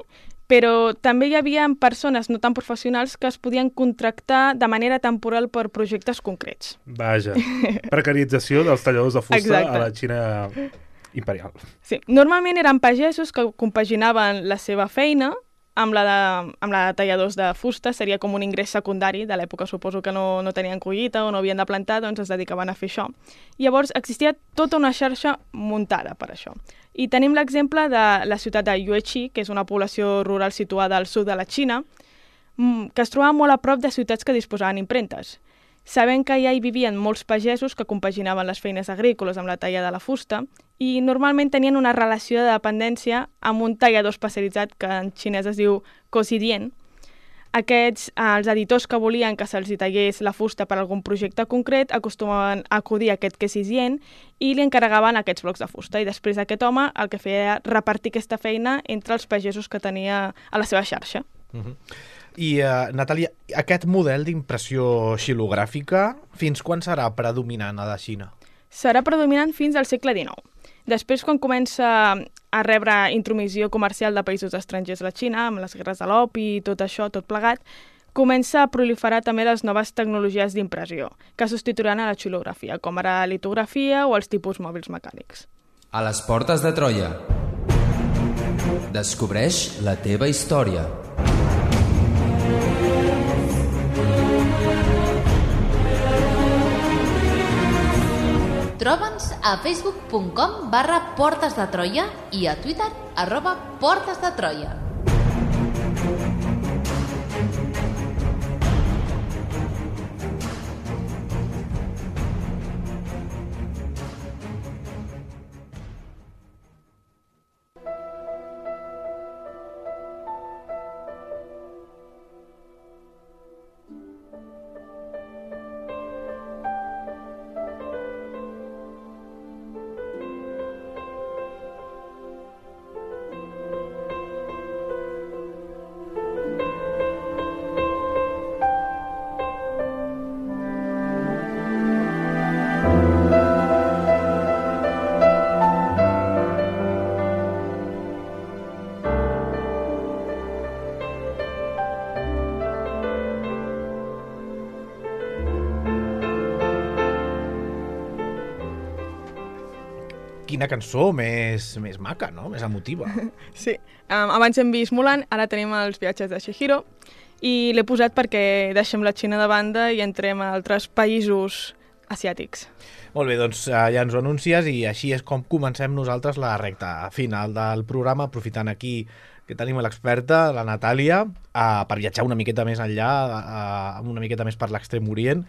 però també hi havia persones no tan professionals que es podien contractar de manera temporal per projectes concrets. Vaja, precarització dels talladors de fusta Exacte. A la Xina imperial. Sí, normalment eren pagesos que compaginaven la seva feina amb la, de, amb la de talladors de fusta, seria com un ingrés secundari de l'època, suposo que no, no tenien collita o no havien de plantar, doncs es dedicaven a fer això. Llavors existia tota una xarxa muntada per això. I tenim l'exemple de la ciutat de Yueqi, que és una població rural situada al sud de la Xina, que es trobava molt a prop de ciutats que disposaven impremtes. Sabent que ja hi vivien molts pagesos que compaginaven les feines agrícoles amb la talla de la fusta i normalment tenien una relació de dependència amb un tallador especialitzat que en xinès es diu cosidien. Aquests, els editors que volien que se'ls tallés la fusta per algun projecte concret acostumaven a acudir a aquest cosidien i li encarregaven aquests blocs de fusta. I després aquest home el que feia era repartir aquesta feina entre els pagesos que tenia a la seva xarxa. Uh-huh. I, uh, Natàlia, aquest model d'impressió xilogràfica, fins quan serà predominant a la Xina? Serà predominant fins al segle dinou. Després, quan comença a rebre intromissió comercial de països estrangers a la Xina, amb les guerres de l'opi i tot això, tot plegat, comença a proliferar també les noves tecnologies d'impressió, que substituiran a la xilografia, com ara la litografia o els tipus mòbils mecànics. A les portes de Troia. Descobreix la teva història. Troba'ns a facebook punt com barra Portes de Troia i a Twitter arroba Portes de Troia. Quina cançó més, més maca, no? Més emotiva. Sí, um, abans hem vist Mulan, ara tenim els viatges de Chihiro i l'he posat perquè deixem la Xina de banda i entrem a altres països asiàtics. Molt bé, doncs ja ens ho anuncies i així és com comencem nosaltres la recta final del programa, aprofitant aquí que tenim l'experta, la Natàlia, uh, per viatjar una miqueta més enllà, uh, una miqueta més per l'Extrem Orient,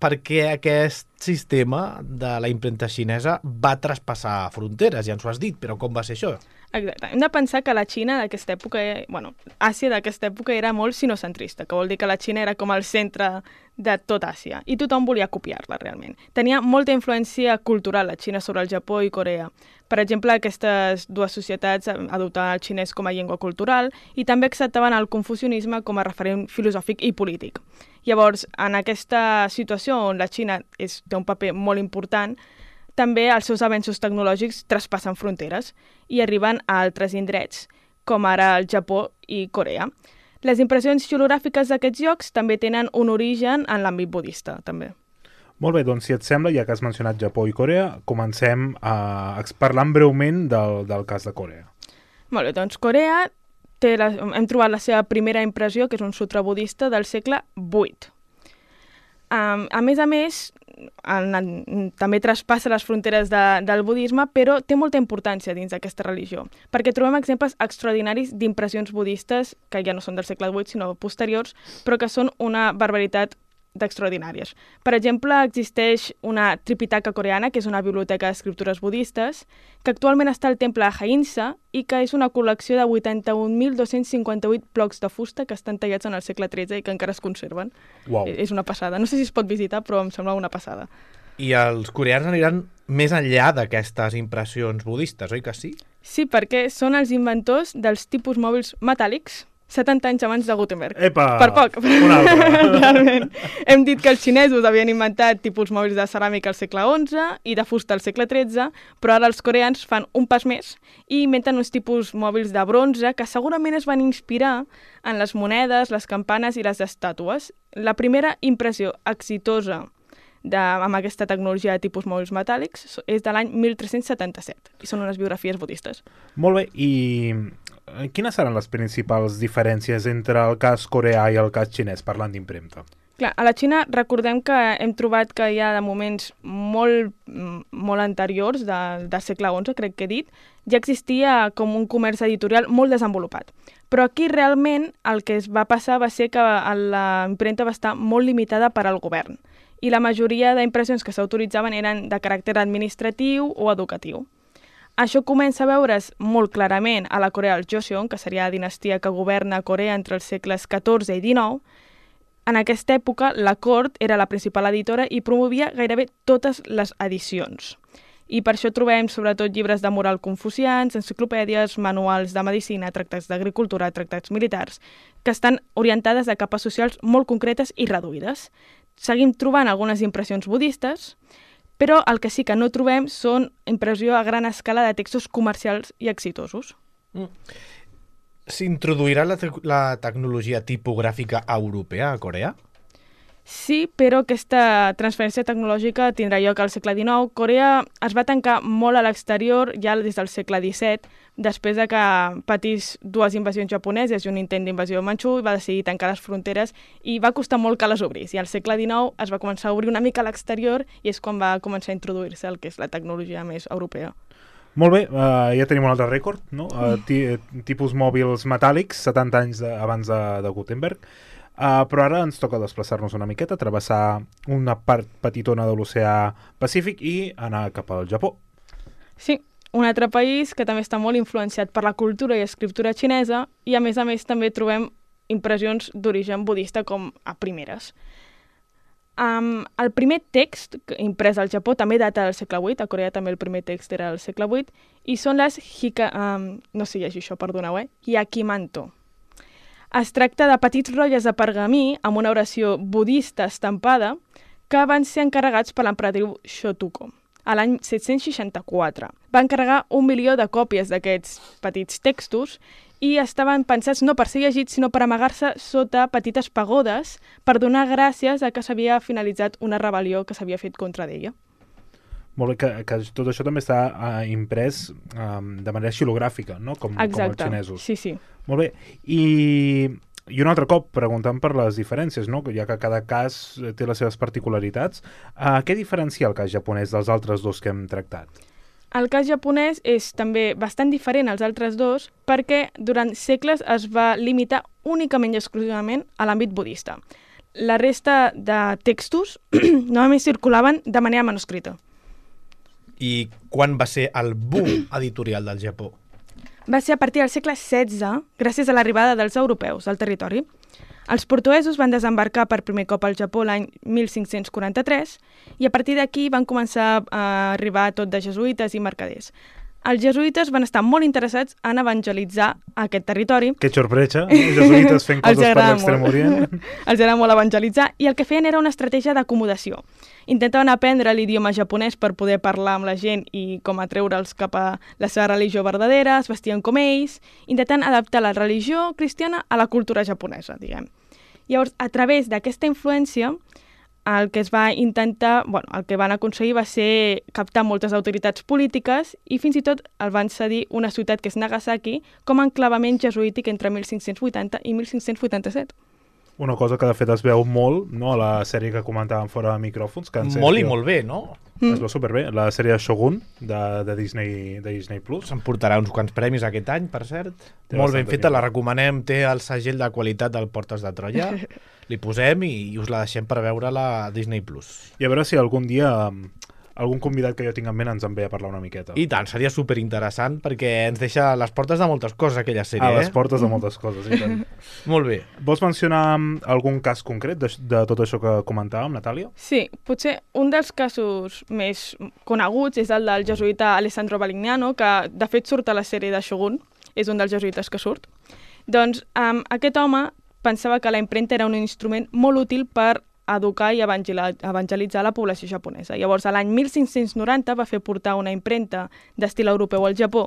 perquè aquest sistema de la impremta xinesa va traspassar fronteres, ja ens ho has dit, però com va ser això? Exacte. Hem de pensar que la Xina d'aquesta època, bueno, Àsia d'aquesta època era molt sinocentrista, que vol dir que la Xina era com el centre de tot Àsia, i tothom volia copiar-la realment. Tenia molta influència cultural la Xina sobre el Japó i Corea. Per exemple, aquestes dues societats adoptaven el xinès com a llengua cultural i també acceptaven el confucianisme com a referent filosòfic i polític. Llavors, en aquesta situació on la Xina és, té un paper molt important, també els seus avenços tecnològics traspassen fronteres i arriben a altres indrets, com ara el Japó i Corea. Les impressions xilogràfiques d'aquests llocs també tenen un origen en l'àmbit budista, també. Molt bé, doncs si et sembla, ja que has mencionat Japó i Corea, comencem a parlant breument del, del cas de Corea. Molt bé, doncs Corea té la, hem trobat la seva primera impressió, que és un sutra budista del segle vuit. Um, a més a més, en, en, també traspassa les fronteres de, del budisme, però té molta importància dins d'aquesta religió, perquè trobem exemples extraordinaris d'impressions budistes que ja no són del segle vuit, sinó posteriors, però que són una barbaritat d'extraordinàries. Per exemple, existeix una Tripitaka coreana, que és una biblioteca d'escriptures budistes, que actualment està al temple de Hainsa i que és una col·lecció de vuitanta-un mil dos-cents cinquanta-vuit blocs de fusta que estan tallats en el segle tretze i que encara es conserven. Uau. És una passada. No sé si es pot visitar, però em sembla una passada. I els coreans aniran més enllà d'aquestes impressions budistes, oi que sí? Sí, perquè són els inventors dels tipus mòbils metàl·lics setanta anys abans de Gutenberg. Epa! Per poc. Un altre. Realment. Hem dit que els xinesos havien inventat tipus mòbils de ceràmica al segle onze i de fusta al segle tretze, però ara els coreans fan un pas més i inventen uns tipus mòbils de bronze que segurament es van inspirar en les monedes, les campanes i les estàtues. La primera impressió exitosa de, amb aquesta tecnologia de tipus mòbils metàl·lics és de l'any mil tres-cents setanta-set i són unes biografies budistes. Molt bé, i quines seran les principals diferències entre el cas coreà i el cas xinès, parlant d'impremta? Clar, a la Xina recordem que hem trobat que hi ha de moments molt, molt anteriors, de, del segle onze, crec que he dit, ja existia com un comerç editorial molt desenvolupat. Però aquí realment el que es va passar va ser que la impremta va estar molt limitada per al govern i la majoria d'impressions que s'autoritzaven eren de caràcter administratiu o educatiu. Això comença a veure's molt clarament a la Corea del Joseon, que seria la dinastia que governa Corea entre els segles catorze i dinou. En aquesta època, la cort era la principal editora i promovia gairebé totes les edicions. I per això trobem sobretot llibres de moral confucians, enciclopèdies, manuals de medicina, tractats d'agricultura, tractats militars, que estan orientades a capes socials molt concretes i reduïdes. Seguim trobant algunes impressions budistes, però el que sí que no trobem són impressió a gran escala de textos comercials i exitosos. Mm. S'introduirà la, te la tecnologia tipogràfica europea a Corea? Sí, però aquesta transferència tecnològica tindrà lloc al segle dinou. Corea es va tancar molt a l'exterior ja des del segle disset, després de que patís dues invasions japoneses i un intent d'invasió manxú i va decidir tancar les fronteres i va costar molt que les obrís. I al segle dinou es va començar a obrir una mica a l'exterior i és quan va començar a introduir-se el que és la tecnologia més europea. Molt bé, uh, ja tenim un altre rècord, no? Uh, tipus mòbils metàl·lics, setanta anys de, abans de, de Gutenberg. Uh, però ara ens toca desplaçar-nos una miqueta, travessar una part petitona de l'oceà Pacífic i anar cap al Japó. Sí, un altre país que també està molt influenciat per la cultura i escriptura xinesa i a més a més també trobem impressions d'origen budista com a primeres. Um, el primer text imprès al Japó també data del segle vuit, a Corea també el primer text era del segle vuit, i són les hika, um, no sé llegir això, perdoneu, eh? Hyakimanto. Es tracta de petits rotlles de pergamí amb una oració budista estampada que van ser encarregats per l'emperadriu Shotoku a l'any set-cents seixanta-quatre. Va encarregar un milió de còpies d'aquests petits textos i estaven pensats no per ser llegits, sinó per amagar-se sota petites pagodes per donar gràcies a que s'havia finalitzat una rebel·lió que s'havia fet contra d'ella. Molt bé, que, que tot això també està uh, imprès um, de manera xilogràfica, no? Com, com els xinesos. Sí, sí. Molt bé, i, i un altre cop preguntant per les diferències, no? Ja que cada cas té les seves particularitats, uh, què diferencia el cas japonès dels altres dos que hem tractat? El cas japonès és també bastant diferent als altres dos perquè durant segles es va limitar únicament i exclusivament a l'àmbit budista. La resta de textos només circulaven de manera manuscrita. I quan va ser el boom editorial del Japó? Va ser a partir del segle setze, gràcies a l'arribada dels europeus al territori. Els portuguesos van desembarcar per primer cop al Japó l'any mil cinc-cents quaranta-tres i a partir d'aquí van començar a arribar tot de jesuïtes i mercaders. els jesuïtes van estar molt interessats en evangelitzar aquest territori. Que sorpresa, els jesuïtes fent coses per l'Extrem Orient. Els agrada molt evangelitzar, i el que feien era una estratègia d'acomodació. Intentaven aprendre l'idioma japonès per poder parlar amb la gent i com atreure'ls cap a la seva religió verdadera, es vestien com ells, intentant adaptar la religió cristiana a la cultura japonesa, diguem. Llavors, a través d'aquesta influència, el que es va intentar, bueno, el que van aconseguir va ser captar moltes autoritats polítiques i fins i tot el van cedir una ciutat que és Nagasaki com a enclavament jesuític entre mil cinc-cents vuitanta i mil cinc-cents vuitanta-set. Una cosa que de fet es veu molt, no?, a la sèrie que comentàvem fora de micròfons. Que molt i molt bé, no? Es veu superbé. La sèrie Shogun de, de, Disney, de Disney Plus. S'emportarà uns quants premis aquest any, per cert. Té molt ben feta, pinta. la recomanem. Té el segell de qualitat del Portes de Troia. Li posem i, i us la deixem per veure-la a Disney Plus. I a veure si algun dia algun convidat que jo tinc en ment ens en ve a parlar una miqueta. I tant, seria superinteressant perquè ens deixa a les portes de moltes coses aquella sèrie. A les eh? portes de moltes coses, i tant. Molt bé. Vols mencionar algun cas concret de, de tot això que comentàvem, Natàlia? Sí, potser un dels casos més coneguts és el del jesuïta Alessandro Balignano, que de fet surt a la sèrie de Shogun, és un dels jesuïtes que surt. Doncs um, aquest home pensava que la impremta era un instrument molt útil per educar i evangelitzar la població japonesa. Llavors, a l'any mil cinc-cents noranta va fer portar una impremta d'estil europeu al Japó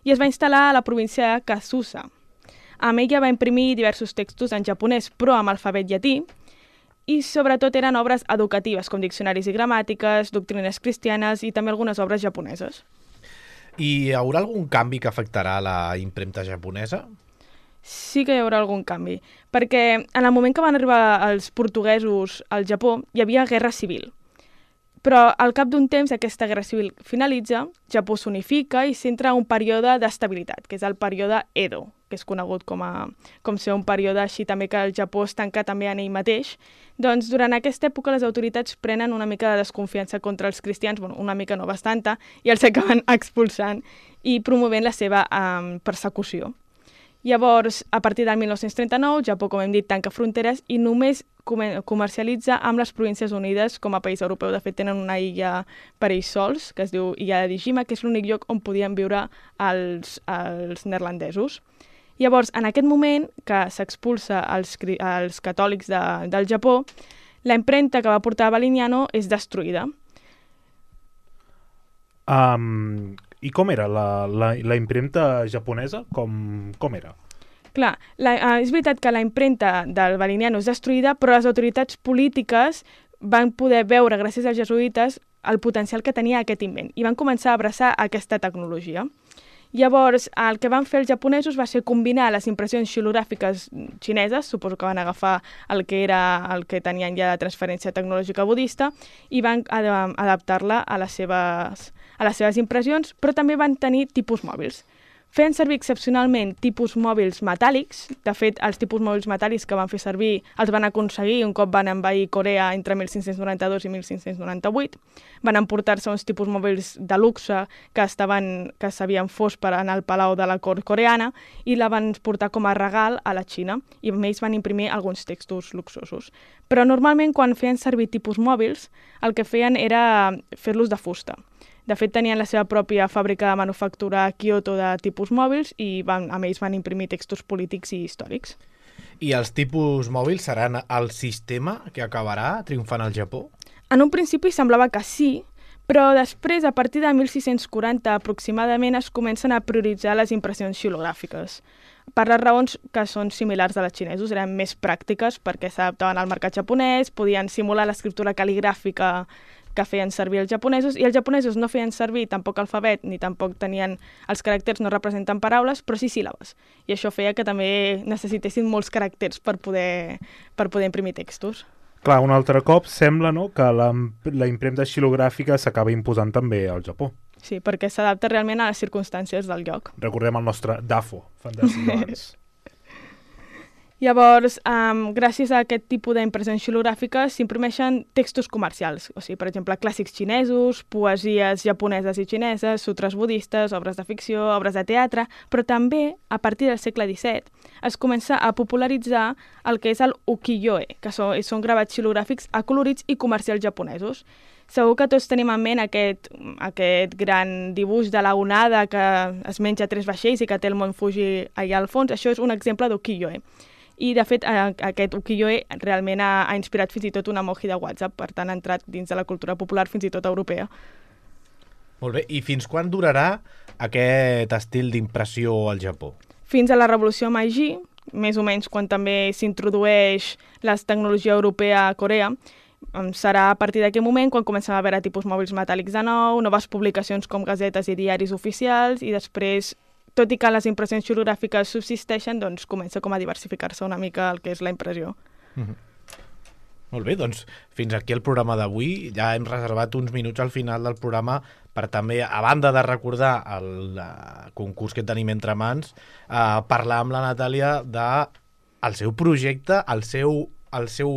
i es va instal·lar a la província de Kasusa. Amb ella va imprimir diversos textos en japonès, però amb alfabet llatí, i sobretot eren obres educatives, com diccionaris i gramàtiques, doctrines cristianes i també algunes obres japoneses. I hi haurà algun canvi que afectarà la impremta japonesa? Sí que hi haurà algun canvi, perquè en el moment que van arribar els portuguesos al Japó hi havia guerra civil. Però al cap d'un temps aquesta guerra civil finalitza, Japó s'unifica i s'entra un període d'estabilitat, que és el període Edo, que és conegut com, a, com ser un període així també que el Japó es tanca també en ell mateix. Doncs durant aquesta època les autoritats prenen una mica de desconfiança contra els cristians, bueno, una mica no bastanta, i els acaben expulsant i promovent la seva um, persecució. Llavors, a partir del mil nou-cents trenta-nou, Japó, com hem dit, tanca fronteres i només comercialitza amb les Províncies Unides com a país europeu. De fet, tenen una illa per ells sols, que es diu Illa de Dijima, que és l'únic lloc on podien viure els, els neerlandesos. Llavors, en aquest moment que s'expulsa els, els catòlics de, del Japó, la impremta que va portar Balignano és destruïda. Um, I com era la, la, la impremta japonesa? Com, com era? Clar, la, uh, és veritat que la impremta del Balignano és destruïda, però les autoritats polítiques van poder veure, gràcies als jesuïtes, el potencial que tenia aquest invent i van començar a abraçar aquesta tecnologia. Llavors, el que van fer els japonesos va ser combinar les impressions xilogràfiques xineses, suposo que van agafar el que era el que tenien ja de transferència tecnològica budista, i van ad adaptar-la a les seves, a les seves impressions, però també van tenir tipus mòbils. Feien servir excepcionalment tipus mòbils metàl·lics. De fet, els tipus mòbils metàl·lics que van fer servir els van aconseguir un cop van envair Corea entre mil cinc-cents noranta-dos i mil cinc-cents noranta-vuit. Van emportar-se uns tipus mòbils de luxe que estaven que s'havien fos per anar al palau de la cort coreana i la van portar com a regal a la Xina i amb ells van imprimir alguns textos luxosos. Però normalment quan feien servir tipus mòbils el que feien era fer-los de fusta. De fet, tenien la seva pròpia fàbrica de manufactura a Kyoto de tipus mòbils i van, amb ells van imprimir textos polítics i històrics. I els tipus mòbils seran el sistema que acabarà triomfant al Japó? En un principi semblava que sí, però després, a partir de mil sis-cents quaranta aproximadament, es comencen a prioritzar les impressions xilogràfiques. Per les raons que són similars a les xinesos, eren més pràctiques perquè s'adaptaven al mercat japonès, podien simular l'escriptura cal·ligràfica que feien servir els japonesos, i els japonesos no feien servir tampoc alfabet, ni tampoc tenien els caràcters, no representen paraules, però sí síl·labes. I això feia que també necessitessin molts caràcters per poder, per poder imprimir textos. Clar, un altre cop sembla, no?, que la, la impremta xilogràfica s'acaba imposant també al Japó. Sí, perquè s'adapta realment a les circumstàncies del lloc. Recordem el nostre Dafo, fantàstic abans. Llavors, um, gràcies a aquest tipus d'impressions xilogràfiques s'imprimeixen textos comercials, o sigui, per exemple, clàssics xinesos, poesies japoneses i xineses, sutres budistes, obres de ficció, obres de teatre, però també, a partir del segle disset, es comença a popularitzar el que és el ukiyo-e, que són, són gravats xilogràfics acolorits i comercials japonesos. Segur que tots tenim en ment aquest, aquest gran dibuix de la onada que es menja tres vaixells i que té el mont Fuji allà al fons. Això és un exemple d'ukiyo-e. I, de fet, aquest ukiyo-e realment ha, ha inspirat fins i tot una emoji de WhatsApp, per tant ha entrat dins de la cultura popular fins i tot europea. Molt bé, i fins quan durarà aquest estil d'impressió al Japó? Fins a la revolució Meiji, més o menys quan també s'introdueix la tecnologia europea a Corea, serà a partir d'aquest moment quan comencem a veure tipus mòbils metàl·lics de nou, noves publicacions com gazetes i diaris oficials, i després, tot i que les impressions xilogràfiques subsisteixen, doncs comença com a diversificar-se una mica el que és la impressió. Mm-hmm. Molt bé, doncs fins aquí el programa d'avui. Ja hem reservat uns minuts al final del programa per també, a banda de recordar el uh, concurs que tenim entre mans, uh, parlar amb la Natàlia del seu projecte, el seu, el seu,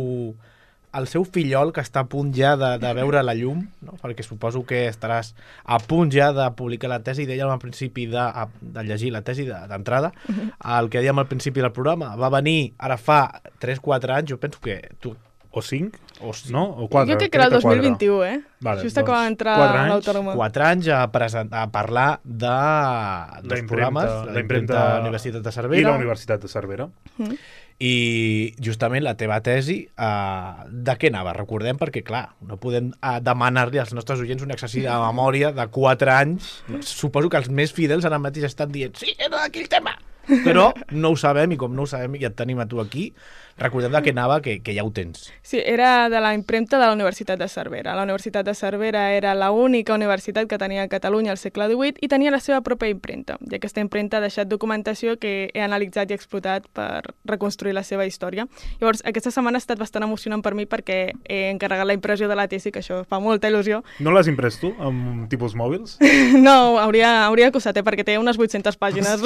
el seu fillol que està a punt ja de, de veure la llum, no? Perquè suposo que estaràs a punt ja de publicar la tesi. Dèiem al principi de, de llegir la tesi d'entrada, de, el que dèiem al principi del programa. Va venir ara fa tres quatre anys, jo penso que tu o cinc, o cinc. No? O quatre. Jo crec que era el dos mil vint-i-u, eh? Vale, just acaba doncs, d'entrar a l'Autònoma. Quatre anys a, presentar, a parlar de dos programes, la impremta Universitat de Cervera i la Universitat de Cervera. Mm. I justament la teva tesi, uh, de què anava? Recordem, perquè clar, no podem uh, demanar-li als nostres oients un exercici de memòria de quatre anys. Suposo que els més fidels ara mateix estan dient sí, era d'aquell tema! Però no ho sabem, i com no ho sabem i et tenim a tu aquí, recordem de què anava, que, que ja ho tens. Sí, era de la impremta de la Universitat de Cervera. La Universitat de Cervera era l'única universitat que tenia a Catalunya al segle divuit i tenia la seva pròpia impremta. I aquesta impremta ha deixat documentació que he analitzat i explotat per reconstruir la seva història. Llavors, aquesta setmana ha estat bastant emocionant per mi perquè he encarregat la impressió de la tesi, que això fa molta il·lusió. No l'has imprès tu, amb tipus mòbils? No, hauria, hauria costat, eh, perquè té unes vuit-centes pàgines.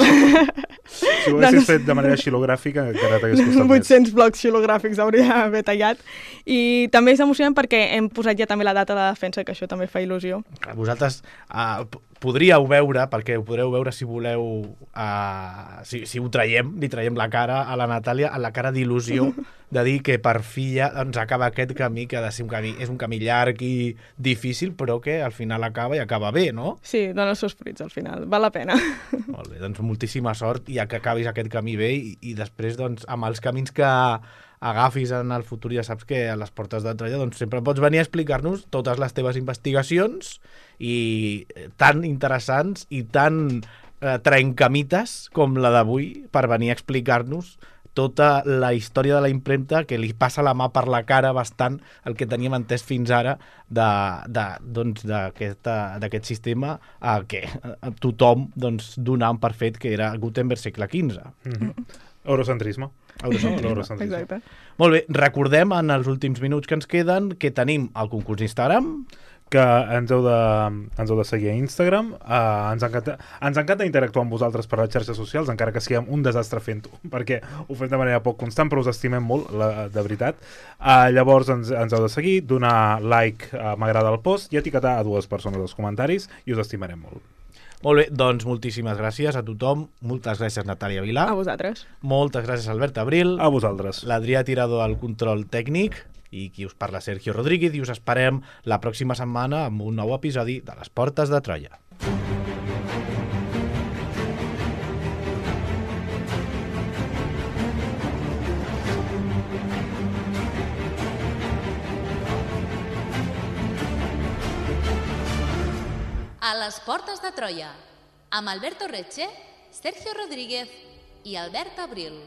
Si ho haguessis fet de manera xilogràfica, encara t'hagués costat vuit-cents blocs xilogràfics hauria d'haver tallat. I també és emocionant perquè hem posat ja també la data de defensa, que això també fa il·lusió. Vosaltres uh, podríeu veure, perquè ho podreu veure si voleu, uh, si, si ho traiem, li traiem la cara a la Natàlia, a la cara d'il·lusió, de dir que per fi ja doncs, acaba aquest camí, que ha de ser un camí, és un camí llarg i difícil, però que al final acaba i acaba bé, no? Sí, dona els seus fruits al final, val la pena. Molt bé, doncs moltíssima sort i que acabis aquest camí bé i, i després doncs, amb els camins que agafis en el futur, ja saps que a les portes de Troia doncs, sempre pots venir a explicar-nos totes les teves investigacions i tan interessants i tan eh, trencamites com la d'avui per venir a explicar-nos tota la història de la impremta, que li passa la mà per la cara bastant el que teníem entès fins ara d'aquest doncs, d'aquest sistema eh, que tothom doncs, donava per fet que era Gutenberg segle quinze. Mm-hmm. Eurocentrisme. Eurocentrisme. Eurocentrisme. Exacte. Molt bé, recordem en els últims minuts que ens queden que tenim el concurs d'Instagram, que ens heu de, ens heu de seguir a Instagram. Uh, ens, encanta, ens encanta interactuar amb vosaltres per les xarxes socials, encara que siguem un desastre fent-ho, perquè ho fem de manera poc constant, però us estimem molt, la, de veritat. Uh, llavors ens, ens heu de seguir, donar like, uh, m'agrada el post, i etiquetar a dues persones als comentaris, i us estimarem molt. Molt bé, doncs moltíssimes gràcies a tothom. Moltes gràcies, Natàlia Vilà. A vosaltres. Moltes gràcies, Albert Abril. A vosaltres. L'Adrià Tirador al control tècnic i qui us parla, Sergio Rodríguez, i us esperem la pròxima setmana amb un nou episodi de Les Portes de Troia. A les Portes de Troia, amb Alberto Reche, Sergio Rodríguez i Albert Abril.